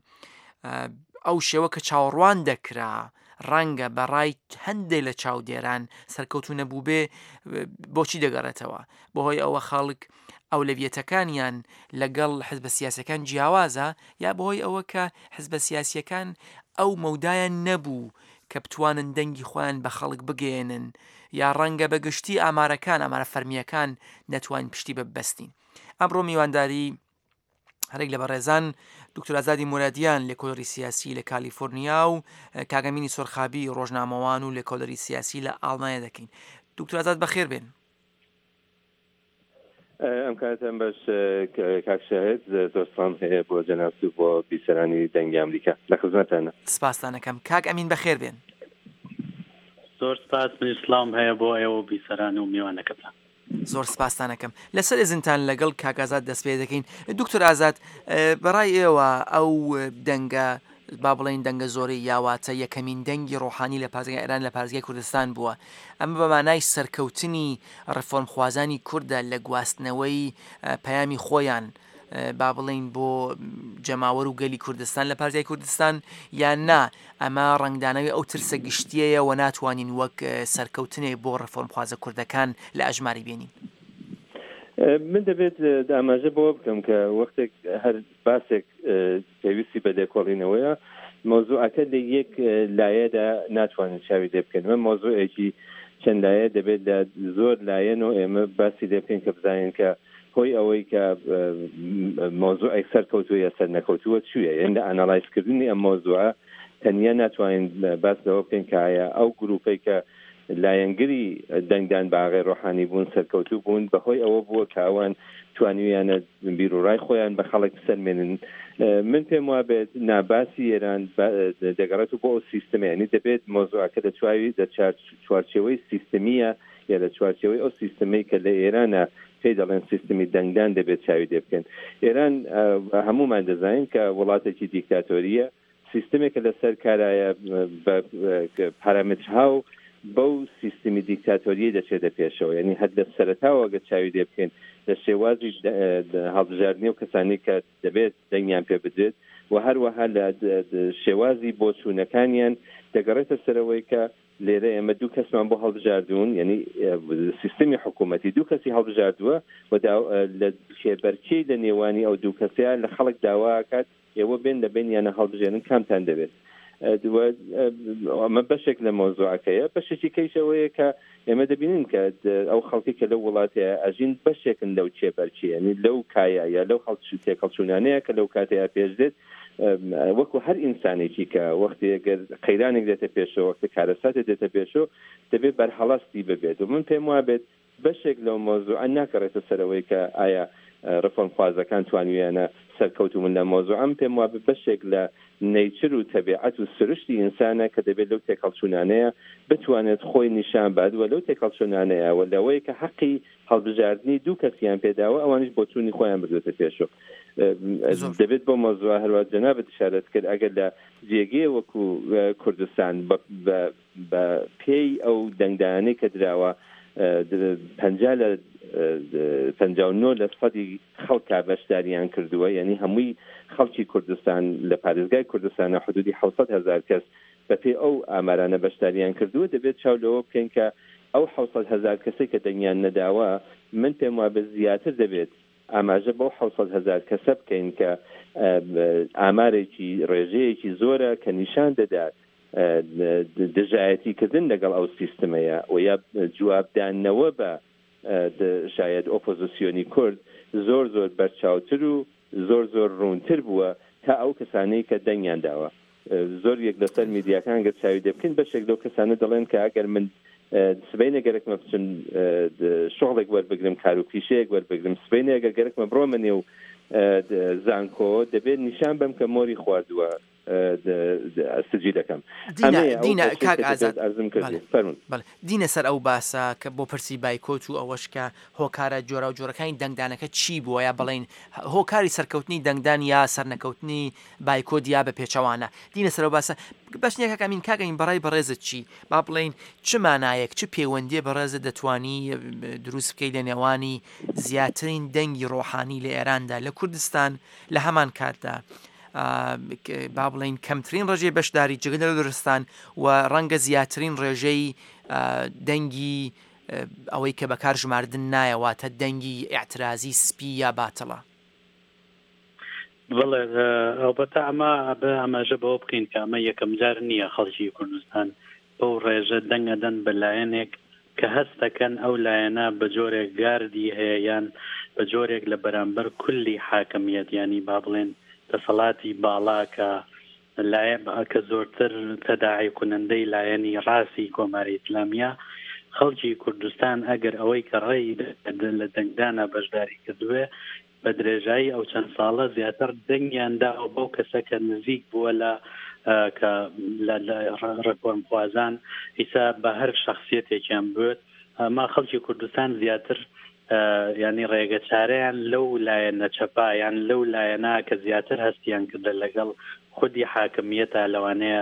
ئەو شێوە کە چاوەڕوان دەکرا ڕەنگە بە ڕای هەندێک لە چاودێران سەرکەوتو نەبووبێ بۆچی دەگەڕێتەوە بەهۆی ئەوە خەڵک ئەولەویەتەکانیان لەگەڵ حزبە سیاسەکان جیاوازە یا بەهۆی ئەوە کە حزبە سیاسیەکان ئەو مەودایان نەبوو کە بتوانن دەنگی خۆیان بە خەڵک بگەیەنن یا ڕەنگە بە گشتی ئامارەکان ئامارە فەرمییەکان نەتوانین پشتی بە ببەستین ئەمڕۆ میوانداری هەرێک لە بەڕێزان دکتۆر ئازادی مورادیان لێکۆڵەری سیاسی لە کالیفۆرنیا و کاگەمینی سۆرخابی ڕۆژنامەوان و لێکۆڵەری سیاسی لە ئاڵمانیا دەکەین دکتۆر ئازاد بەخێر بێن. ئەم کاتەم باش کاک شاهد زۆر سڵام هەیە بۆ جەنابت و بۆ بیسەرانی دەنگی ئەمریکا لە خزمەتانە. سپاستان ئەکەم کاک ئەمین بەخێر بێن. زۆر سپاس منیش سڵاوم هەیە بۆ ئێوە و بیسەران و میوانەکەتان. زۆر سپاستان ئەکەم. لەسەر ئیزنتان لەگەڵ کاک ئازاد دەست پێ دەکەین. دکتۆر ئازاد بەڕای ئێوە ئەو دەنگە با بڵێین دەنگە زۆرەی یا واتە یەکەمین دەنگی ڕۆحانی لە پارێزگای ئێران لە پارێزگای کوردستان بووە، ئەمە بە مانای سەرکەوتنی ڕێفۆرمخوازانی کوردە لە گواستنەوەی پەیامی خۆیان با بڵێین بۆ جەماوەر و گەلی کوردستان لە پارێزگای کوردستان یان نا ئەمە ڕەنگدانەوەی ئەو ترسە گشتیەیە و ناتوانین وەک سەرکەوتنێک بۆ ڕێفۆرمخوازە کوردەکان لە ئەژماری بێنین؟ من دەبێت ئاماژە بەوە بکەم کە وەختێک هەر باسێک پێویستی بە لێکۆڵینەوەیە، مەوزوعەکە لە یەک لایەدا ناتوانین چاوی لێ بکەین. ئەمە مەوزوعێکی چەند لایە دەبێت لە زۆر لایەن و ئێمە باسی لێ بکەین کە بزانین کە هۆی ئەوەی کە مەوزوعێک سەرکەوتووە یا سەرنەکەوتووە چییە. یعنی لە ئانالایزکردنی ئەم مەوزوعە تەنیا ناتوانین باس لەوە بکەین کە ئایا ئەو گروپەی کە لایەنگری دەنگدان بە ئاغای ڕۆحانی بوون سەرکەوتوو بوون بەهۆی ئەوە بووە کە ئەوان توانیویانە بیرروڕای خۆیان بە خەڵک بسەلمێنن. من پێم وابێت ناباسی ئێران دەگەڕێت بۆ ئەو سیستمە، یعنی دەبێت مەوزوعەکە لە چواوی لە چوارچێوەی سیستمیە یا لە چوارچێوەی ئەو سیستمەی کە لە ئێرانە پێی دەڵێن سیستمی دەنگدان دەبێت چاوی لێ بکەن. ئێران هەمومان دەزانین کە وڵاتێکی دیکتاتۆریە، سیستمێکە لەسەر کارایە بە پارامترها و بەو سیستمی دیکتاتۆریە دەچێتە پێشەوە. یعنی هەر لە سەرەتاوە ئەگەر چاوی لێ بکەین لە شێوازی هەڵبژاردنی و کەسانی کە دەبێت دەنگیان پێ بدرێت و هەروەها لە شێوازی بۆچوونەکانیان دەگەڕێتە سەرەوەی کە لێرە ئێمە دوو کەسمان بۆ هەڵبژاردوون، یعنی سیستمی حکوومەتی دوو کەسی هەڵبژاردووە و لە کێبەرکێی لە نێوانی ئەو دوو کەسەیە لە خەڵک داواکات ئێوە بێن لە بینیانە هەڵبژێنن کامتان دەبێت. ئەمە بەشێک لە مەوزوعەکەیە. بەشێکی کەیشەوەیە کە ئێمە دەبینین کە ئەو خەڵکی کە لەو وڵاتەیە ئەژین بەشێکن لەو چێبەرکێ، یعنی لەو کایە یا لەو تێکەڵچوونانەیە کە لەو کاتەیە پێش دێت. وەکو هەر ئینسانێکی کە وەختی ئەگەر قەیرانێک دێتە پێشەوە، وەختی کارەساتێک دێتە پێشەوە، دەبێت بەرهەڵستی ببێت. و من پێم وابێت بەشێک لەو مەوزوعە ناکەڕێتە سەرەوەی کە ئایا ڕێفۆرمخوازەکان توانیویانە سەرکەوتوو من لە مەوزوعەم. پێم وابێ بەشێک لە نەیچر و تەبیعەت و سروشتی ئینسانە کە دەبێت لەو تێکەڵچوونانەیە بتوانێت خۆی نیشان بات و لەو تێکەڵچوونانەیە و لەوەی کە حەقی هەڵبژاردنی دوو کەسیان پێداوە ئەوانیش بۆچوونی خۆیان بردوێتە پێشەوە. دەبێت بۆ مەوزوع هەروە جەنابت ئشارەت کرد ئەگەر لە جێگەیە وەکو کوردستان بە پێی ئەو دەنگدانەی کە دراوە پەنجا لە پەنجا و نۆ لە سەدی خەڵکا بەشداریان کردووە، یعنی هەمووی خەڵکی کوردستان لە پارێزگای کوردستانە حدودی حەوسەد هەزار کەس بەپێی ئەو ئامارانە بەشداریان کردووە. دەبێت چاو لەوە بکەین کە ئەو حەوسەد هەزار کەسێک کە دەنگیان نەداوە، من پێم وابێ زیاتر دەبێت ئاماژە بەو حەوسەد هەزار کەسە بکەین کە ئامارێکی ڕێژەیەکی زۆرە کە نیشان دەدات دژایەتیکردن لەگەڵ ئەو سیستمەیە و یا جوابدانەوە بە شاید ئۆپۆزیسیۆنی کورد زۆر زۆر بەرچاوتر و زۆر زۆر ڕوونتر بووە تا ئەو کەسانەی کە دەنگیان داوە. زۆر یەک لەسەر میدیاکان گەر چاوی لێ بکەین بەشێک لەو کەسانە دەڵێن کە ئەگەر من سبەینێ گەرەکمە بچم شغڵێک وەربگرم، کار و پیشەیەک وەربگرم، سبەینێ ئەگەر گەرەکمە بڕۆمە نێو زانکۆ دەبێت نیشان بەم کە مۆری خواردووە سجی دەکەم. دینا کاک ئازاد دینە سەر ئەو باسە کە بۆ پرسی بایکۆت و ئەوەش کە هۆکارە جۆرە و جۆرەکانی دەنگدانەکە چی بووە، یا بڵین هۆکاری سەرکەوتنی دەنگدان یا سەرنەکەوتنی بایکۆت یا بە پێچەوانە. دینە سەر ئەو باسە باش نییە کاک ئەمین. کاک ئەمین بەڕای بەڕێزت چی؟ با بڵین چ مانایەک چ پەیوەندیە بەڕێزت دەتوانی دروست بکەیت لە نێوانی زیاترین دەنگی ڕۆحانی لە ئێراندا لە کوردستان لە هەمان کاتدا با بڵین کەمترین ڕێژەی بەشداری جگە لە لوڕستان و ڕەنگە زیاترین ڕێژەی دەنگی ئەوەی کە بەکار ژماردن نایە، واتە دەنگی ئیعترازی سپی یا باتڵە؟ بەڵێ، ئەڵبەتە ئەمە بە ئاماژە بەوە بکەین کە ئەمە یەکەم جار نییە خەڵکی کوردستان بەو ڕێژە دەنگەدەن بە لایەنێک کە هەست دەکەن ئەو لایەنە بە جۆرێک گاردی هەیە یان بە جۆرێک لە بەرامبەر کولی حاکمیەت، ینی با بڵێن دەسەڵاتی باڵا کە لایەن کە زۆرتر تەداعی کنندەی لایەنی ڕاستی کۆماری ئیسلامیە، خەڵکی کوردستان ئەگەر ئەوەی کە ڕێی لە دەنگدانە بەشداری کردوێ بە درێژایی ئەو چەند ساڵە زیاتر دەنگیان داوە بەو کەسە کە نزیک بووە لە کە لە ڕێفۆرمخوازان، ئیسا بە هەر شخصیەتێکیان بێت. ئەما خەڵکی کوردستان زیاتر ینی ڕێگە چارەیان لەو لایەنە چەپا یان لەو لایەنە کە زیاتر هەستیان کردە لەگەڵ خودی حاکمیەتە لەوانەیە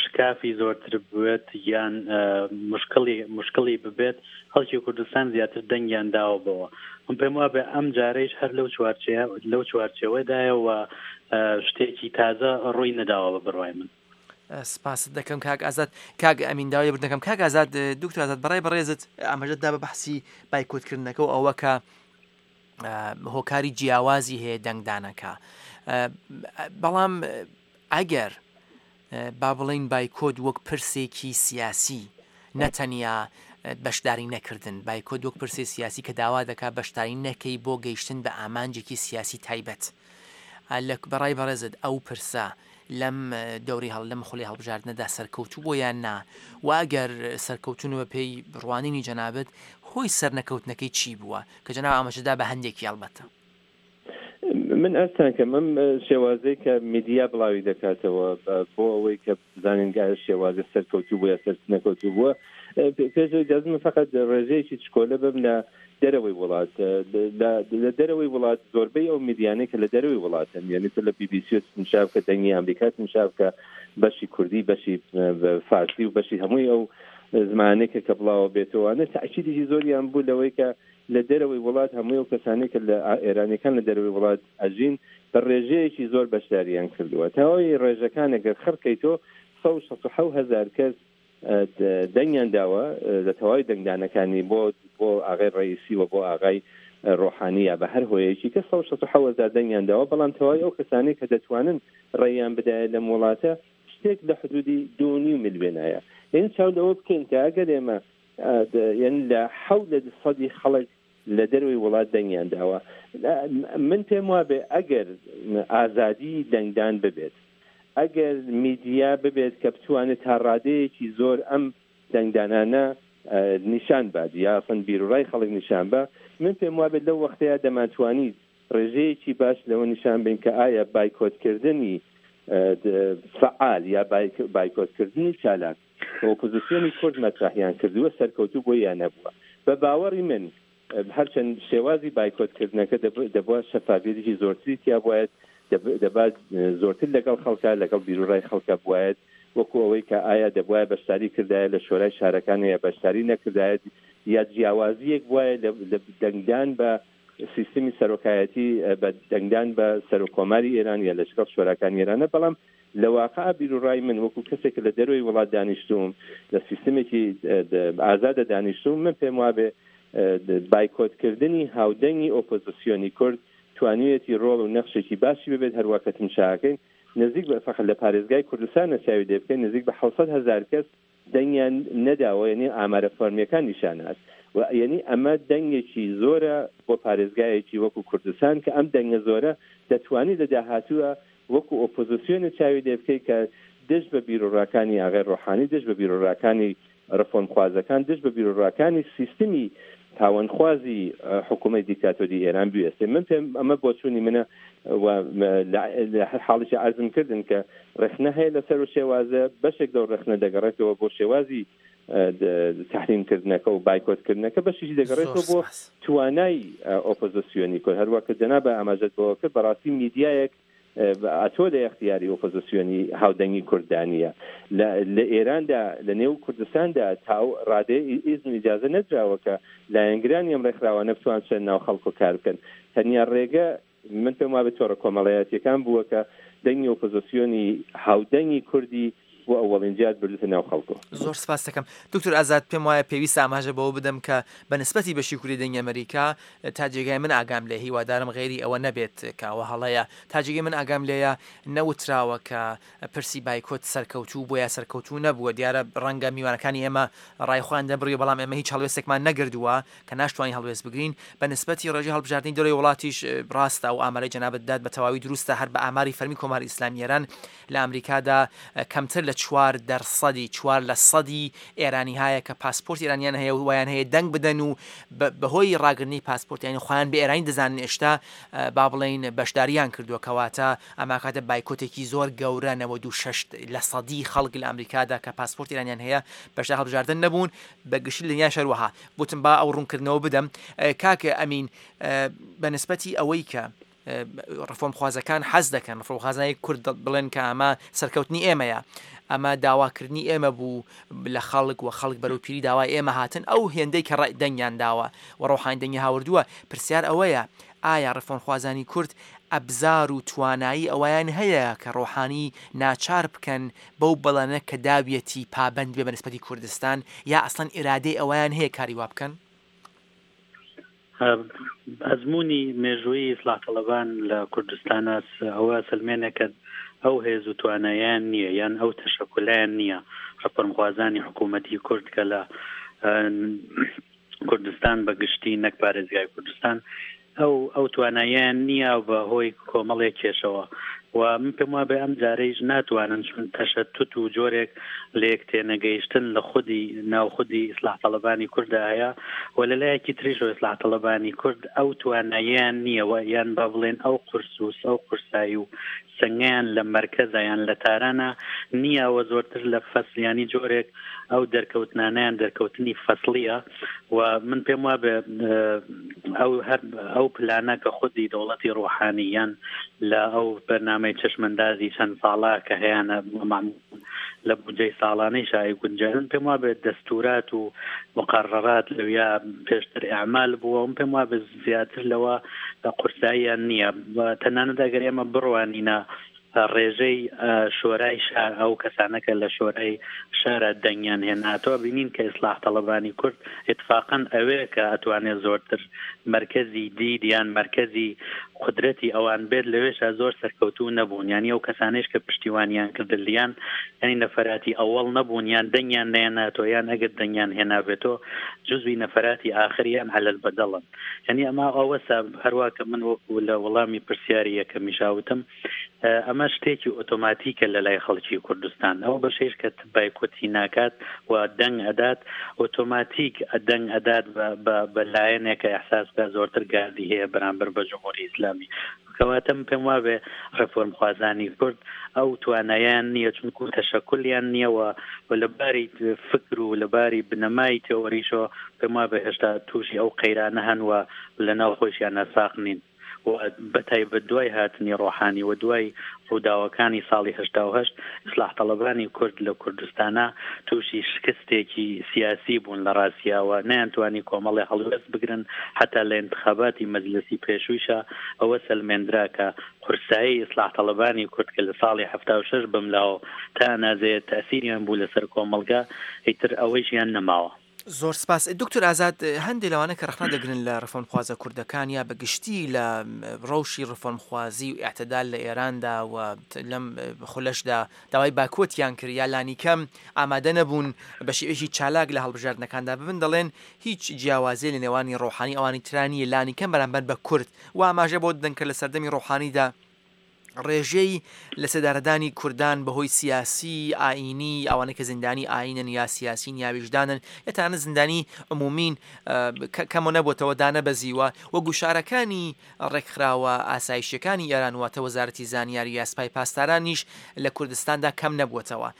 شکافی زۆرتر بێت یان مشکلی مشکلی ببێت، خەڵکی کوردستان زیاتر دەنگیان داوە بەوە. من پێم وابێ ئەم جارەیش هەر لەو چوارچێوە لەو چوارچێوەدایەوە شتێکی تازە ڕووی نەداوە بە بڕوای من. سپاست دەکەم کاک ئازاد. کاک ئەمین داوای لێبوردن دەکەم. کاک ئازاد، دکتۆر ئازاد، بەڕای بەڕێزت ئاماژەت دا بە بەحسی بایکۆتکردنەکە و ئەوە کە هۆکاری جیاوازی هەیە دەنگدانەکە، بەڵام ئەگەر با بڵین بایکۆت وەک پرسێکی سیاسی نەتەنیا بەشداری نەکردن، بایکۆت وەک پرسی سیاسی کە داوا دەکات بەشداری نەکەی بۆ گەیشتن بە ئامانجێکی سیاسی تایبەت، لە بەڕای بەڕێزت ئەو پرسە لەم دەوری هەڵ لەم خولی هەڵبژاردنەدا سەرکەوتوو بۆ یان نا؟ و ئەگەر سەرکەوتون بە پێی ڕوانینی جەنابت هۆی سەرنەکەوتنەکەی چی بووە کە جەناب ئاماژەدا بە هەندێکی ئەڵبەتە؟ من ئەستان کەم ئەم شێوازەی کە میدیا بڵاوی دەکاتەوە بۆ ئەوەی کە بزانین گاە شێوازە سەرکەوتوو بووە سەرنەکەوتوو بووە، پێش ئەوەی فقط ڕێژەیەکی چکۆلە بم لە دەرەوەی وڵات. لە دەرەوەی وڵات زۆربەی ئەو میدیانەی کە لە دەرەوەی وڵاتن، یعنی تۆ لە بی بی سی تمشا بکە، دەنگی ئەمریکا تمشا بکە، بەشی کوردی، بەشی فارسی و بەشی هەمووی ئەو زمانێکە کە بڵاوە بێتەوانە تاکیدێکی زۆریان بوو لەوەی کە لە دەرەوەی وڵات هەمووی ئەو کەسانەی کە لە ئێرانیەکان لە دەرەوەی وڵات ئەژین بە ڕێژەیەکی زۆر بەشداریان کردووە. تەواوی ڕێژەکان ئەگەر خڕکەیتەوە سەد و شەست و حەوت هەزار کەس دەنگیان داوە لە تەواوی دەنگدانەکانی بۆ بۆ ئاغای ڕئیسی و بۆ ئاغای ڕۆحانی یا بە هەر هۆیەکی کە سەد و شەست و حەوت هەزار دەنگیان داوە، بەڵام تەواوی ئەو کەسانەی کە دەتوانن ڕێیان بدایە لەم وڵاتە شتێک لە حدودی دوو نیو ملیۆنایە. یعنی چاو لەوە بکەین کە ئەگەر ئێمە یعنی لە حەوت لە سەدی خەڵک لە دەرەوەی وڵات دەنگیان داوە، من پێم وابێ ئەگەر ئازادی دەنگدان ببێت، ئەگەر میدیا ببێت کە بتوانێت تا ڕادەیەکی زۆر ئەم دەنگدانانە نیشان بات یا ئەسڵەن بیرۆڕای خەڵک نیشان بە، من پێم وابێت لەو وەختەیە دەمانتوانیت ڕێژەیەکی باش لەوە نیشان بین کە ئایا بایکۆتکردنی فعال یا بایکۆتکردنی چالاک ئۆپۆزیسیۆنی کورد مەترەحیان کردووە سەرکەوتوو بۆ یا نەبووە. بە باوەڕی من هەرچەند شێوازی بایکۆتکردنەکە دەبووە شەفافیەتێکی زۆرتری تیا بوایەت، دەبا زۆرتر لەگەڵ خەڵکە لەگەڵ بیرۆڕای خەڵکە بوایەت، وەکو ئەوەی کە ئایا دەبوایە بەشداری کردایە لە شۆرای شارەکان یا بەشداری نەکردایەت، یا جیاوازیەک بوایە لە دەنگدان بە سیستمی سەرۆکایەتی بە دەنگدان بە سەرۆکۆماری ئێران یا لە شکڵ شۆراکانی ئێرانە. بەڵام لە واقع بیرۆڕای من وەکو کەسێک لە دەرەوەی وڵات دانیشتوم، لە سیستمێکی ئازادە دانیشتوم، من پێم وابێ بایکۆتکردنی هاودەنگی ئۆپۆزیسیۆنی کورد توانیویەتی ڕۆڵ و نەخشێکی باشی ببێت. هەروە کە تمشاکەین نزیک بە فەقط لە پارێزگای کوردستان نەچاوی لێ بکەین نزیک بە حەوت سەد هەزار کەس دەنگیان نەداوە، یعنی ئامارە فەرمیەکان نیشانات و یعنی ئەمە دەنگێکی زۆرە بۆ پارێزگایەکی وەکو کوردستان کە ئەم دەنگە زۆرە دەتوانێت لە داهاتووە وەکو ئۆپۆزیسیۆنە چاوی لێ بکەیت کە دژ بە بیرۆڕاکانی ئاغای ڕۆحانی، دژ بە بیرۆڕاکانی ڕفۆرمخوازەکان، دژ بە بیرۆڕاکانی سیستمی پاوەنخوازی حکوومەت دیکتاتۆری ئێران بوێستێ. من پێم ئەمە بۆچوونی منە و لە هەر حاڵێکی عەرزم کردن کە ڕێخنە هەیە لەسەر و شێوازە، بەشێک لەو ڕێخنە دەگەڕێتەوە بۆ شێوازی تحریمکردنەکە و بایکۆتکردنەکە، بەشێکی دەگەڕێتەوە بۆ توانای ئۆپۆزیسیۆنی کورد. هەروە کە جەنابە ئاماژەت بەوە کرد، بەڕاستی میدیایەک ئەتۆ لە اختیاری ئۆپۆزیسیۆنی هاودەنگی کوردانیە لە ئێراندا، لە نێو کوردستاندا تا ڕادەیە ئیزن و ئیجازە نەدراوە کە لایەنگرانی ئەم ڕێکخراوانە بتوان چەند ناو خەڵک و کار بکەن. تەنیا ڕێگە من پێم وابێت تۆڕە کۆمەڵایەتیەکان بووە کە دەنگی ئۆپۆزیسیۆنی هاودەنگی کوردی بۆ ئەوەڵین جار بردوتە ناو خەڵکۆ. زۆر سپاس دەکەم دکتۆر ئازاد. پێم وایە پێویستە ئاماژە بەوە بدەم کە بە نسبەتی بەشی کوردی دەنگی ئەمریکا تا جێگای من ئاگام لێ، هیوادارم غێری ئەوە نەبێت کە ئەوە هەڵەیە، تا جێگای من ئاگام لێیە نەوتراوە کە پرسی بایکۆت سەرکەوتوو بۆ یا سەرکەوتوو نەبووە. دیارە ڕەنگە میوانەکانی ئێمە ڕای خۆیان دەبڕی، بەڵام ئێمە هیچ هەڵوێستێکمان نەگردووە کە ناشتوانین هەڵوێست بگرین. بە نسبەتی ڕێژەی هەڵبژاردنی دەرەوەی وڵاتیش ڕاستە ئەو ئامارەی جەنابت داد بە تەواوی دروستە. هەر بە ئاماری فەرمی کۆماری ئیسلامی ئێران لە ئەمریکادا کەمتر لە لە چوار دەرسەدی چوار لە سەدی ئێرانی هەیە کە پاسپۆرت ئێرانیان هەیە و وایان هەیە دەنگ بدەن و بەهۆی ڕاگرنی پاسپۆرتیانی خۆیان بە ئێرانی دەزانن ئێشتا با بڵێین بەشداریان کردووە، کەواتە ئەماکاتە بایکۆتێکی زۆر گەورە نەوەد و شەش لە سەدی خەڵک لە ئەمریکادا کە پاسپۆرت ئێرانیان هەیە بەشدار هەڵبژاردن نەبوون، بە گشتی لە دنیاش هەروەها. وتم با ئەو ڕوونکردنەوە بدەم. کاک ئەمین بە نسبەتی ئەوەی کە ڕفۆرمخوازەکان حەز دەکەن ڕفۆرمخوازانی کورد بڵێن کە ئەمە سەرکەوتنی ئێمەیە، ئەمە داواکردنی ئێمە بوو لە خەڵک و خەڵک بەرەو پیری داوای ئێمە هاتن، ئەو هێندەی کە ڕای دەنگیان داوە و ڕۆحانی دەنگی هاوردووە، پرسیار ئەوەیە ئایا ڕفۆرمخوازانی کورد ئەبزار و توانایی ئەوەیان هەیە کە ڕۆحانی ناچار بکەن بەو بەڵێنە کە داویەتی پابەند بێ بە نسبەتی کوردستان، یا ئەسڵەن ئیرادەی ئەوەیان هەیە کاری وا بکەن؟ ئەزمموی مێژووی ئیسلاح تەڵەبان لە کوردستانە ئەوە سلمێنێکە ئەو هێز و توانایان نییە یان ئەو تەشەکولایان نییە ڕفۆرمخوازانی حکوومەتی کورد کە لە کوردستان بە گشتی نەک پارێزگای کوردستان ئەو ئەو توانایان نییە بە هۆی کۆمەڵێک کێشەوە و من پێم وابێ ئەم جارەیش ناتوانن چون تەشەتوت و جۆرێک لە یەک تێنەگەیشتن لە خودی ناو خودی ئیسلاح تەڵەبانی کورددا هەیە و لە لایەکی تریشەوە ئیسلاح تەڵەبانی کورد ئەو توانایان نییە و یان با بڵێن ئەو قورس و ئەو قورسایی و سەنگیان لە مەرکەزە یان لە تارانە نییە و زۆرتر لە فەسلیانی جۆرێک ئەو دەرکەوتنانیان دەرکەوتنی فەسلیە و من پێم وابێ ئەو هەر ئەو پلانە کە خودی دەوڵەتی ڕۆحانی یان لە ئەو بەرنامەی چەشمەندازی چەند ساڵە کە هەیانە لە بودجەی ساڵانەی شای گونجانن، پێم وابێت دەستورات و مقررات لەویا پێشتر ئەعمال بووە و پێم وابێت زیاتر لەوە قورساییان نییە. تەنانەت ئەگەر ئێمە بڕوانینە ڕێژەی شۆرای شار ئەو کەسانە کە لە شۆرای شارە دەنگیان هێناتەوە بینین کە ئیسلاح تەڵەبانی کورد اتفاقاً ئەوێ کە ئەتوانێت زۆرتر مرکزی دید یان مرکزی قدرەتی ئەوان بێت لەوێشا زۆر سەرکەوتوو نەبوون، یعنی ئەو کەسانەیش کە پشتیوانیان کردلیان یعنی نەفەراتی ئەوەڵ نەبوون یان دەنگیان نەهێناتەوە یان ئەگەر دەنگیان هێنابێتەوە جزوی نەفەراتی ئاخریان عەلەل بەدەڵن. یعنی ئەمە ئەوەسا هەروە کە من وەکو لە وەڵامی پرسیاری یەکەمیشاوتم ئەمە شتێکی ئۆتۆماتیکە لە لای خەڵکی کوردستان، ئەو بەشەیش کە بایکۆتی ناکات و دەنگ ئەدات ئۆتۆماتیک دەنگ ئەدات بە لایەنێک کە ئەحساس بکات زۆرتر گاردی هەیە بەرامبەر بە جمهوری ئیسلامی. کەواتە من پێم وابێ ڕێفۆرمخوازانی کورد ئەو توانایان نییە چونکو تەشەکولیان نییە و لە باری فکر و لە باری بنەمای تێۆریشەوە پێم وابێ هێشتا تووشی ئەو قەیرانە هەن و لە ناو خۆشیان ناساق نین. و بەتایبەت دوای هاتنی ڕۆحانی و دوای ڕووداوەکانی ساڵی هەشتا و هەشت ئیسلاح تەڵەبانی کورد لە کوردستانە تووشی شکستێکی سیاسی بوون لە ڕاستیاوە، نەیانتوانی کۆمەڵی هەڵوێست بگرن. حتا لە انتخاباتی مەجلسی پێشوویشە ئەوە سەلمێندرا کە قورسایی ئیسلاح تەڵەبانی کورد کە لە ساڵی هەفتا و شەش بملاوە تا ئەنازەیە تەسیریان بوو لەسەر کۆمەڵگا، ئیتر ئەوەیشیان نەماوە. زۆر سپاس دکتۆر ئازاد. هەندێک لەوانە کە ڕەخنە دەگرن لە ڕفۆرمخوازە کوردەکان یا بە گشتی لە ڕەوشی ڕفۆرمخوازی و ئیعتدال لە ئێراندا و لەم خولەشدا داوای باکۆتیان کرد یا لانیکەم ئامادە نەبوون بە شێوەیەکی چالاک لە هەڵبژاردنەکاندا ببن، دەڵێن هیچ جیاوازی لە نێوانی ڕۆحانی ئەوانی ترانیە لانیکەم بەرامبەر بە کورد و ئاماژە بۆ دەدەن کە لە سەردەمی ڕۆحانیدا ڕێژەی لە سێدارەدانی کوردان بەهۆی سیاسی ئاینی ئەوانەی کە زیندانی ئاینن یا سیاسین یا ویژدانن یا تەنانەت زیندانی عمومین کەمە نەبووتەوە دانەبەزیوە و گوشارەکانی ڕێکخراوە ئاسایشیەکانی ئێران واتە وەزارەتی زانیاری یا سپای پاسدارانیش لە کوردستاندا کەم نەبووتەوە.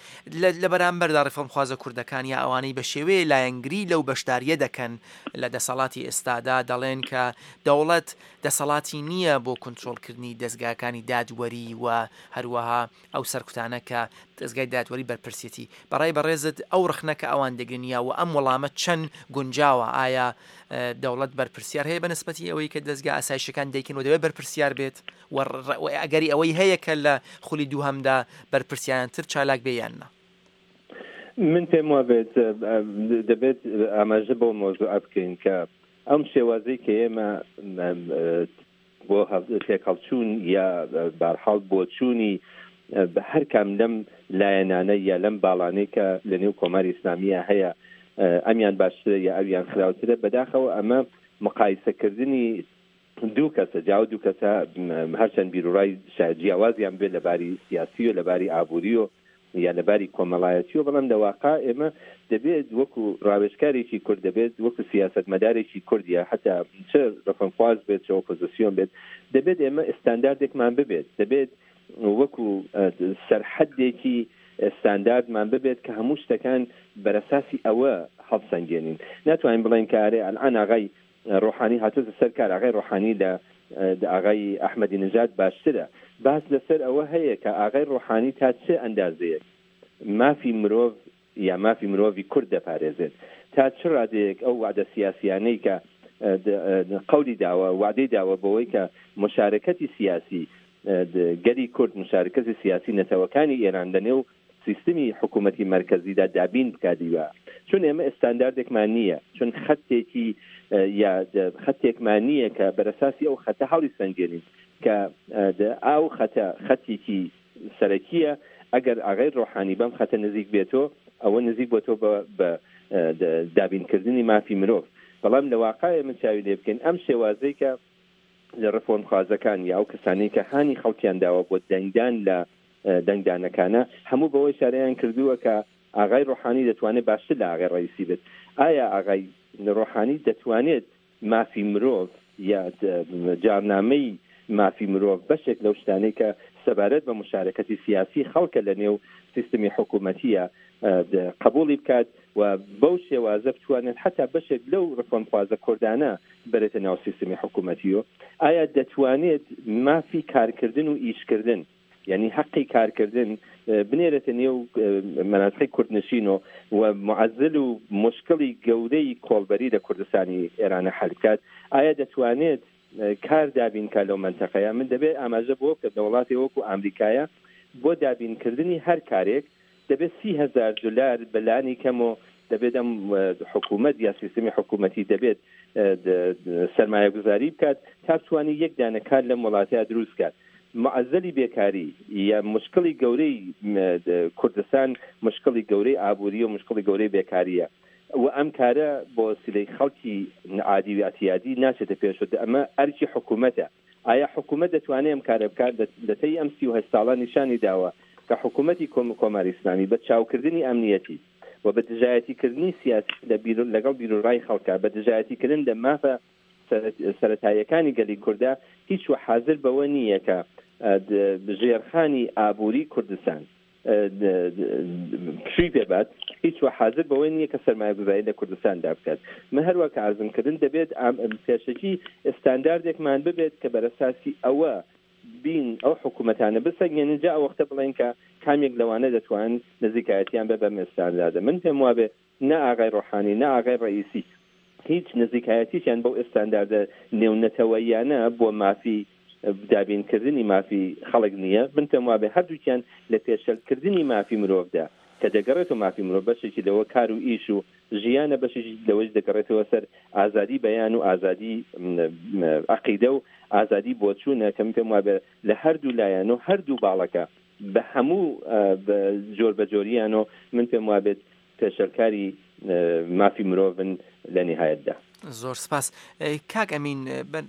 لە بەرامبەردا ڕێفۆرمخوازە کوردەکان یا ئەوانەی بە شێوەیە لایەنگری لەو بەشداریە دەکەن لە دەسەڵاتی ئێستادا دەڵێن کە دەوڵەت دەسەڵاتی نییە بۆ کنترۆڵکردنی دەستگاکانی دادوەری و هەروەها ئەو سەرکوتانە کە دەستگای دادوەری بەرپرسیەتی. بەڕای بەڕێزت ئەو ڕخنە کە ئەوان دەگرن یا و ئەم وەڵامە چەند گونجاوە؟ ئایا دەوڵەت بەرپرسیار هەیە بە نسبەتی ئەوەی کە دەستگا ئاسایشەکان دەیکەن و دەبێت بەرپرسیار بێت و ئەگەری ئەوەی هەیە کە لە خولی دووهەمدا بەرپرسیانتر چالاک بێ یان نا؟ من پێم وابێت دەبێت ئاماژە بۆ مۆزوع بکەین کە ئەم شێوازەی کە ئێمە بۆ تێکهەڵچوون یا بارحاڵ بۆچوونی بە هەر کام لەم لایەنانە یا لەم باڵانەی کە لە نێو کۆماری ئیسلامیە هەیە ئەمیان باشترە یا ئەویان خراوترە، بەداخەوە ئەمە مقایسەکردنی دوو کەسە، جاو دوو کەسە هەرچەند بیرڕای جیاوازیان بێت لەباری سیاسی و لەباری ئابووری و یا لەباری کۆمەڵایەتیەوە، بەڵام لە واقع ئێمە دەبێت وەکو ڕاوێژکارێکی کورد، دەبێت وەکو سیاسەتمەدارێکی کورد یا حتا چ ڕەفەنخواز بێت چ ئۆپۆزیسیۆن بێت، دەبێت ئێمە ئستانداردێکمان ببێت، دەبێت وەکو سەرحەدێکی ستانداردمان ببێت کە هەموو شتەکان بەرەساسی ئەوە هەڵسەنگێنین. ناتوانین بڵێن کە ئارێ ئەلئان ئاغای ڕۆحانی هاتۆتە سەر کار، ئاغای ڕۆحانی لە ئاغای ئەحمەدی نژاد باشترە. باس لەسەر ئەوە هەیە کە ئاغای ڕۆحانی تا چه ئەندازەیەک مافی مرۆڤ یا مافی مرۆڤی کورد دەپارێزێت، تا چ ڕادەیەک ئەو وعدە سیاسیانەی کە قەولی داوە، وعدەی داوە بەوەی کە مشارکەتی سیاسی گەلی کورد، مشارکەتی سیاسی نەتەوەکانی ئێران لەنێو سیستمی حکوومەتی مەرکەزیدا دابین بکاتیوە. چون ئێمە ئستانداردێکمان نییە، چون خەتێکی یا خەتێکمان نییە کە بەرەساسی ئەو خەتە هەڵی سەنگێنین کە ئەو خەتە خەتێکی سەرەکیە. ئەگەر ئاغای ڕۆحانی بەم خەتە نزیک بێتەوە، ئەوە نزیک بۆتەوە بە دابینکردنی مافی مرۆڤ. بەڵام لە واقع من چاوی لێ بکەین ئەم شێوازەی کە لە ڕفۆرمخوازەکان یا ئەو کەسانەی کە هانی خەڵکیان داوە بۆ دەنگدان لە دەنگدانەکانە، هەموو بەوەی شارەیان کردووە کە ئاغای ڕۆحانی دەتوانێت باشتر لە ئاغای ڕئیسی بێت. ئایا ئاغای ڕۆحانی دەتوانێت مافی مرۆڤ یا جارنامەی مافی مرۆڤ بەشێک لەو شتانەی کە سەبارەت بە مشارکەتی سیاسی خەڵکە لە نێو سیستمی حکوومەتیە قبولی بکات و بەو شێوازە بتوانێت حتا بەشێک لەو ڕفۆرمخوازە کوردانە بەرێتە ناو سیستمی حکوومەتیەوە؟ ئایا دەتوانێت مافی کارکردن و ئیشکردن، یعنی حەقی کارکردن بنێرێتە نێو مەناتقی کوردنشین و معزل و مشکلی گەورەی کۆڵبەری لە کوردستانی ئێرانە حل بکات؟ ئایا دەتوانێت کار دابین کا لەو منتەقەیە؟ من دەبێت ئاماژە بۆ بکەم لە وڵاتی وەکو ئەمریکایە بۆ دابینکردنی هەر کارێک دەبێت سی هەزار دلار بەلانی کەم و دەبێت ئەم حکوومەت یا سیستمی حکوومەتی دەبێت سەرمایەگوزاری بکات تا بتوانێت یەک دانە کار لەم وڵاتەیە دروست بکات. معزلی بێکاری یا مشکلی گەورەی کوردستان مشکلی گەورەی ئابووری و مشکلی گەورەی بێکاریە و ئەم کارە بۆ سیلەی خەڵکی عادی و ئەعتیادی ناچێتە پێشەوە. ئەمە ئەرکی حکوومەتە. ئایا حکوومەت دەتوانێت ئەم کارە بکات؟ لە تەی ئەم سی و هەشت ساڵە نیشانی داوە کە حکوومەتی کۆماری ئیسلامی بە چاوکردنی ئەمنیەتی و بە دژایەتیکردنی سیاسی لەگەڵ بیرۆڕای خەڵکە، بە دژایەتیکردن لە مافە سەرەتاییەکانی گەلی کووردا هیچ و حاضر بەوە نییە کە ژێرخانی ئابووری کوردستان پشووی پێبات، هیچ و حاضر بەوە نییە کە سەرمایەگوزاری لە کوردستاندا بکات. من هەروە کە عەرزم کردن دەبێت پێشەکی ئستانداردێکمان ببێت کە بەرەساسی ئەوە بین ئەو حکوومەتانە بسەنگێنن، جا ئەو وەختە بڵێن کە کامێک لەوانە دەتوانن نزیکایەتیان بە بەم ئستانداردە. من پێم وابێ نە ئاغای ڕۆحانی نە ئاغای ڕئیسی هیچ نزیکایەتیشیان بەو ئستانداردە نێونەتەوەیانە بۆ مافی دابینکردنی مافی خەڵک نییە. من پێم وابێ هەردووکیان لە پێشەلکردنی مافی مرۆڤدا کە دەگەڕێتەوە مافی مرۆڤ بەشێکی لەوە کار و ئیش و ژیانە، بەشێکی لەوەش دەگەڕێتەوە سەر ئازادی بەیان و ئازادی عەقیدە و ئازادی بۆچوونە کە من پێم وابێ لە هەردوو لایەن و هەردوو باڵەکە بە هەموو جۆر بە جۆریان و من پێم وابێت پێشەلکاری مافی مرۆڤن لە نهایەتدا. زۆر سپاس. کاک ئەمین،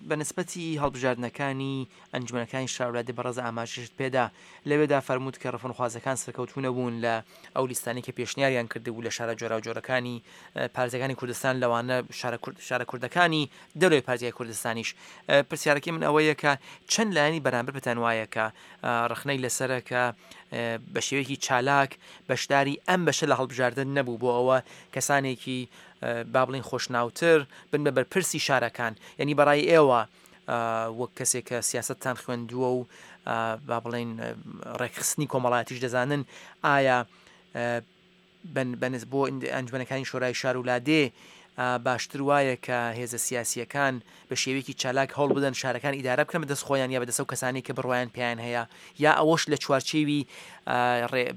بە نسبەتی هەڵبژاردنەکانی ئەنجومەنەکانی شارولادێ بەڕێز ئاماژەشت پێدا، لەوێدا فەرمووت کە ڕفۆرمخوازەکان سەرکەوتوو نەبوون لە ئەو لیستانەی کە پێشنیاریان کردبوو لە شارە جۆراوجۆرەکانی پارێزگاکانی کوردستان، لەوانە شارە کوردەکانی دەرەوەی پارێزگای کوردستانیش. پرسیارەکەی من ئەوەیە کە چەند لایەنی بەرامبەر پێتان وایە کە ڕەخنەی لەسەرە کە بە شێوەیەکی چالاک بەشداری ئەم بەشە لە هەڵبژاردن نەبوو بۆ ئەوە کەسانێکی با بڵین خۆشناوتر بن بە بەرپرسی شارەکان؟ یعنی بەڕای ئێوە وەک کەسێک کە سیاسەتتان خوێندووە و با بڵین ڕێکخستنی کۆمەڵایەتیش دەزانن، ئایا بەنز بۆ ئەنجومەنەکانی شۆرای شار و لادێ باشتر وایە کە هێزە سیاسیەکان بە شێوەیەکی چالاک هەوڵ بدەن شارەکان ئیدارە بکەن بەدەست خۆیان یا بەدەست ئەو کەسانی کە بڕوایان پێیان هەیە، یا ئەوەش لە چوارچێوی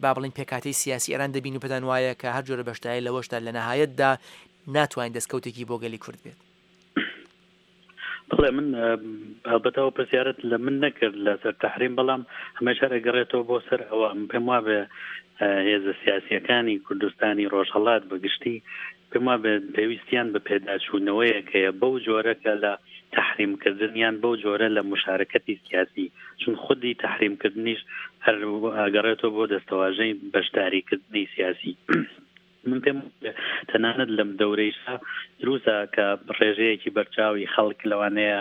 با بڵین پێکهاتەی سیاسی ئێران دەبین و پێتان وایە کە هەر جۆرە بەشداری لەوەشدا لە نەهایەتدا ناتوانین دەستکەوتێکی بۆ گەلی کورد بێت؟ بەڵێ، من هەڵبەتەوە پرسیارت لە من نەکرد لەسەر تەحریم، بەڵام هەمێش هەر ئەگەڕێتەوە بۆ سەر ئەوە. من پێم وابێ هێزە سیاسیەکانی کوردستانی ڕۆژهەڵات بەگشتی پێم وابێ پێویستیان بە پێداچوونەوەیەک هەیە بەو جۆرە کە لە تەحریمکردنیان بەو جۆرە لە مشارکەتی سیاسی، چون خودی تەحریمکردنیش هەر ئەگەڕێتەوە بۆ دەستەواژەی بەشداریکردنی سیاسی. من پێم تەنانەت لەم دەورەیشا دروستە کە ڕێژەیەکی بەرچاوی خەڵک لەوانەیە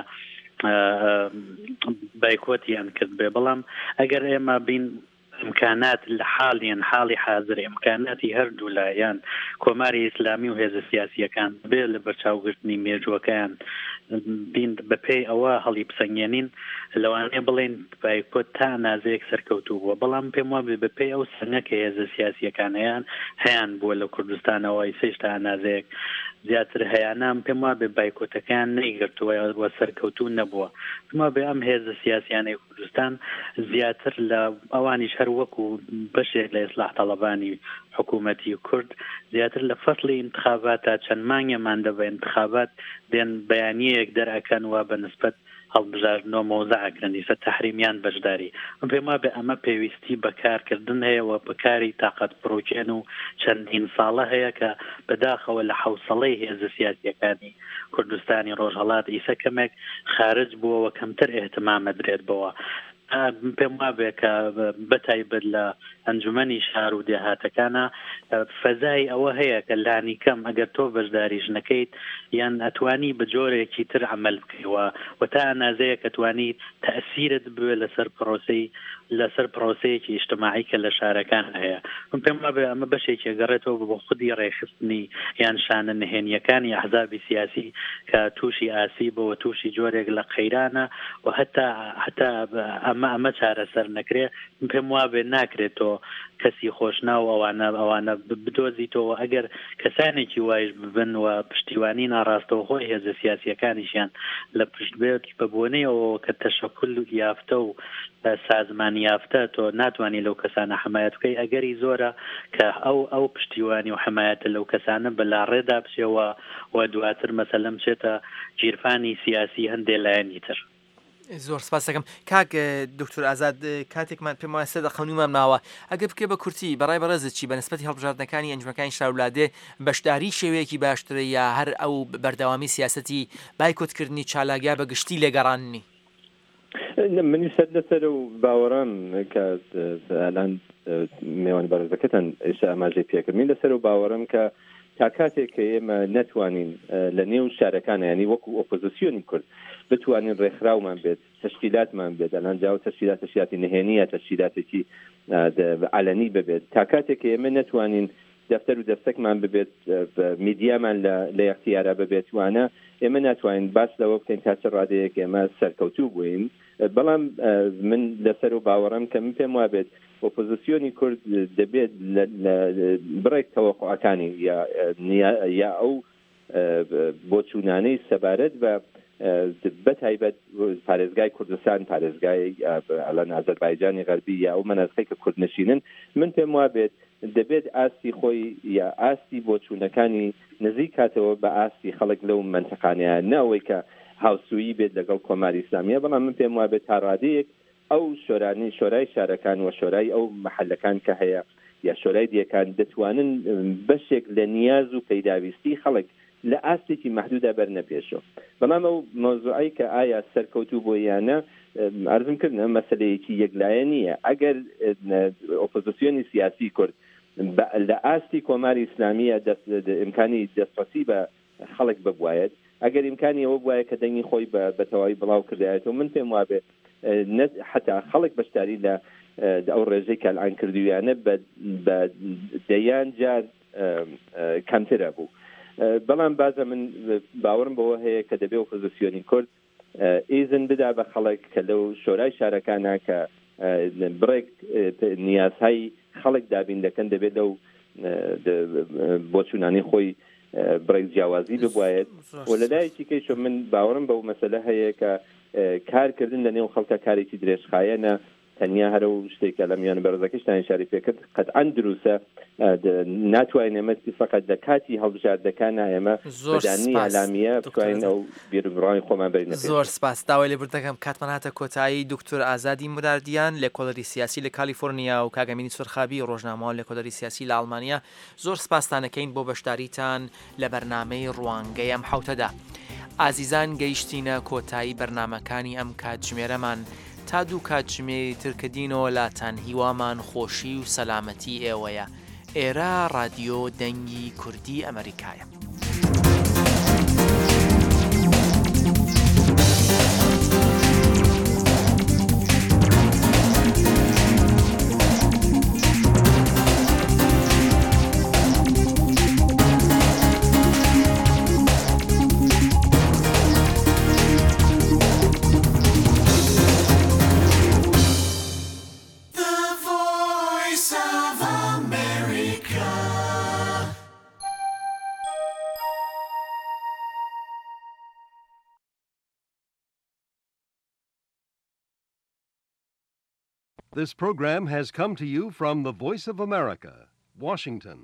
بایکۆتیان کرد بێ، بەڵام ئەگەر ئێمە بین ئیمکانات لە حاڵیان حاڵی حاضر ئیمکاناتی هەردوو لایەن کۆماری ئیسلامی و هێزە سیاسیەکان بێ لە بەرچاوگرتنی مێژووەکەیان بین بەپێی ئەوە هەڵی بسەنگێنین، لەوانەیە بڵێن بایکۆت تا ئەنازەیەک سەرکەوتوو بووە، بەڵام پێم وابێ بەپێی ئەو سەنگە کە هێزە سیاسیەکان هەیان هەیان بووە لە کوردستانەوە ئیسەیش تا ئەنازەیەک زیاتر هەیانە، پێم وابێ بایکۆتەکەیان نەیگرتووە و سەرکەوتوو نەبووە. پێم وابێ ئەم هێزە سیاسیانەی کوردستان زیاتر لە ئەوانیش هەر وەکو بەشێک لە ئیسلاح تەڵەبانی حکوومەتی کورد زیاتر لە فەصلی انتخابات تا چەند مانگێمان دە بە انتخابات دێن بەیانیەیەک دەرئەکەن و بە نسبەت هەڵبژاردنەوە مەوزع ئەکرن ئیسە تەحریمیان بەشداری. من پێم وابێ ئەمە پێویستی بە کارکردن هەیە و بە کاری تاقەت پڕوکێن و چەندین ساڵە هەیە کە بەداخەوە لە حەوسەڵەی هێزە سیاسیەکانی کوردستانی ڕۆژهەڵات ئیسە کەمێک خارج بووە و کەمتر ئێهتمامە درێت بەوە. پێم وابێ کە بەتایبەت لە ئەنجومەنی شار و دێهاتەکانە فەزای ئەوە هەیە کە لانی کەم ئەگەر تۆ بەشداریش نەکەیت یان ئەتوانی بە جۆرێکی تر عمل بکەیەوە و تا ئەنازەیە کە توانی تەئسیرت بوێ لەسەر پرۆسەی لەسەر پرۆسەیەکی ئیجتماعی کە لە شارەکان هەیە. من پێم وابێ ئەمە بەشێکی گەڕێتەوە بۆ خودی ڕێکخستنی یان شانە نهێنیەکانی ئەحزابی سیاسی کە تووشی ئاسیبەوە تووشی جۆرێک لە قەیرانە و هەتا هەتا ئەمە ئەمە چارەسەر نەکرێ من پێم وابێ ناکرێتەوە کەسی خۆشناو ئەوانە ئەوانە بدۆزیتەوە. ئەگەر کەسانێکی وایش ببن و پشتیوانی ناڕاستەوخۆی هێزە سیاسیەکانیشیان لە پشت بێت بە بۆنەی ئەوەوە کە تەشەکول یافتە و سازمان یافتە تۆ ناتوانانی لەو کەسانە حمایەت بکەی، ئەگەری زۆرە کە ئەو ئەو پشتیوانی و حمایەتە لەو کەسانە بەلاڕێدا بچێەوە و دواتر مەسەلەن بچێتە گیرفانی سیاسی هەندێک لایەنی تر. زۆر سپاس دەکەم کاک دکتۆر ئازاد. کاتێکمان پێم وایە سێ دەقە و نیومان ماوە، ئەگەر بکرێ بە کورتی بەڕای بەڕێزت چی بە نسبەتی هەڵبژاردنەکانی ئەنجومەنەکانی شارولادێ بەشداری شێوەیەکی باشترە یا هەر ئەو بەردەوامی سیاسەتی بایکۆتکردنی چالاک یا بە گشتی لێگەڕاننی؟ منی سەر لەسەر و باوەڕم کە ئەلان میوان بەڕێزەکەتان ئێستا ئاماژەی پێکرد، من لەسەر و باوەڕم کە تا کاتێک کە ئێمە نەتوانین لە نێو شارەکانە ینی وەکو ئۆپۆزیسیۆنی کورد بتوانین ڕێکخراومان بێت، تەشکیلاتمان بێت، ئەلان جاوە تەشکیلات تەشکیلاتی نهێنیە، تەشکیلاتێکی عەلەنی ببێت، تا کاتێک کە ئێمە نەتوانین دەفتەر و دەستەکمان ببێت، میدیامان لە اختیارە ببێت، وانە ئێمە ناتوانین باس لەوە بکەین تا چ ڕادەیەک ئێمە سەرکەوتوو بووین. بەڵام من لەسەر و باوەڕم کە من پێم وابێت ئۆپۆزیسیۆنی کورد دەبێت بڕێک تەوەقعەکانی یا ئەو بۆچوونانەی سەبارەت بە بەتایبەت پارێزگای کوردستان، پارێزگای ئەلان ئازەربایجانی غەربی یا ئەو مەناسقەی کە کوردنشینن، من پێم وابێت دەبێت ئاستی خۆی یا ئاستی بۆچوونەکانی نزیک کاتەوە بە ئاستی خەڵک لەو منتەقانەیە، نەوەی کە هاوسویی بێت لەگەڵ کۆماری ئیسلامیە. بەڵام من پێم وابێت تا ڕادەیەک ئەو شۆرانی شۆرای شارەکان و شۆرای ئەو محلەکان کە هەیە یا شۆرای دیەکان دەتوانن بەشێک لە نیاز و پەیداویستی خەڵک لە ئاستێکی مەحدودا بەرنە پێشەوە. بەڵام ئەو مەوزوعەی کە ئایا سەرکەوتوو بۆ یانە عەرزم کردنە مەسەلەیەکی یەکلایە نییە. ئەگەر ئۆپۆزیسیۆنی سیاسی کورد لە ئاستی کۆماری ئیسلامیە ئیمکانی دەستڕەسی بە خەڵک ببوایەت، ئەگەر ئیمکانی ئەوە بوایە کە دەنگی خۆی بە تەواوی بڵاو کردایەتەوە، من پێم وابێ حتا خەڵک بەشداری لە ئەو ڕێژەی کە ئەلان کردویانە بە دەیان جار کەمترە بوو. بەڵام بازە من باوەڕم بەوە هەیە کە دەبێ ئۆپۆزیسیۆنی کورد ئیزن بدا بە خەڵک کە لەو شۆرای شارەکانە کە بڕێک نیازهای خەڵک دابین دەکەن، دەبێت لەو بۆچوونانی خۆی بڕێک جیاوازی ببوایەت. و لەلایەکی کەیشە من باوەڕم بەو مەسەلە هەیە کە کارکردن لە نێو خەڵکە کارێکی درێژخایەنە، تەنیا هەرە و شتێکە لە میانە بەرزەکەشتان ئشاری پێکرد قەتعەن دروستە. ناتوانین ئێمە فقط لە کاتی هەڵبژاردەکان ئێمە بەدانی ئەلامیە بتوانین ئەو بیربڕانی خۆمان بەرینە پێش. زۆر سپاس. داوای لێبوردن دەکەم کاتمان هاتە کۆتایی. دکتۆر ئازادی موراردیان لێکۆڵەری سیاسی لە کالیفۆرنیا و کاک ئەمینی سورخابی ڕۆژنامەوان لێکۆڵەری سیاسی لە ئەڵمانیا، زۆر سپاستانەکەین بۆ بەشداریتان لە بەرنامەی ڕوانگەی ئەم حەوتەدا. ئازیزان گەیشتینە کۆتایی بەرنامەکانی ئەم کاتژمێرەمان، تا دوو کاتژمێری تر کە دینەوە لاتان هیوامان خۆشی و سەلامەتی ئێوەیە. ئێرە ڕادیۆ دەنگی کوردی ئەمریکایە. The Voice of America. This program has come to you from the Voice of America, Washington.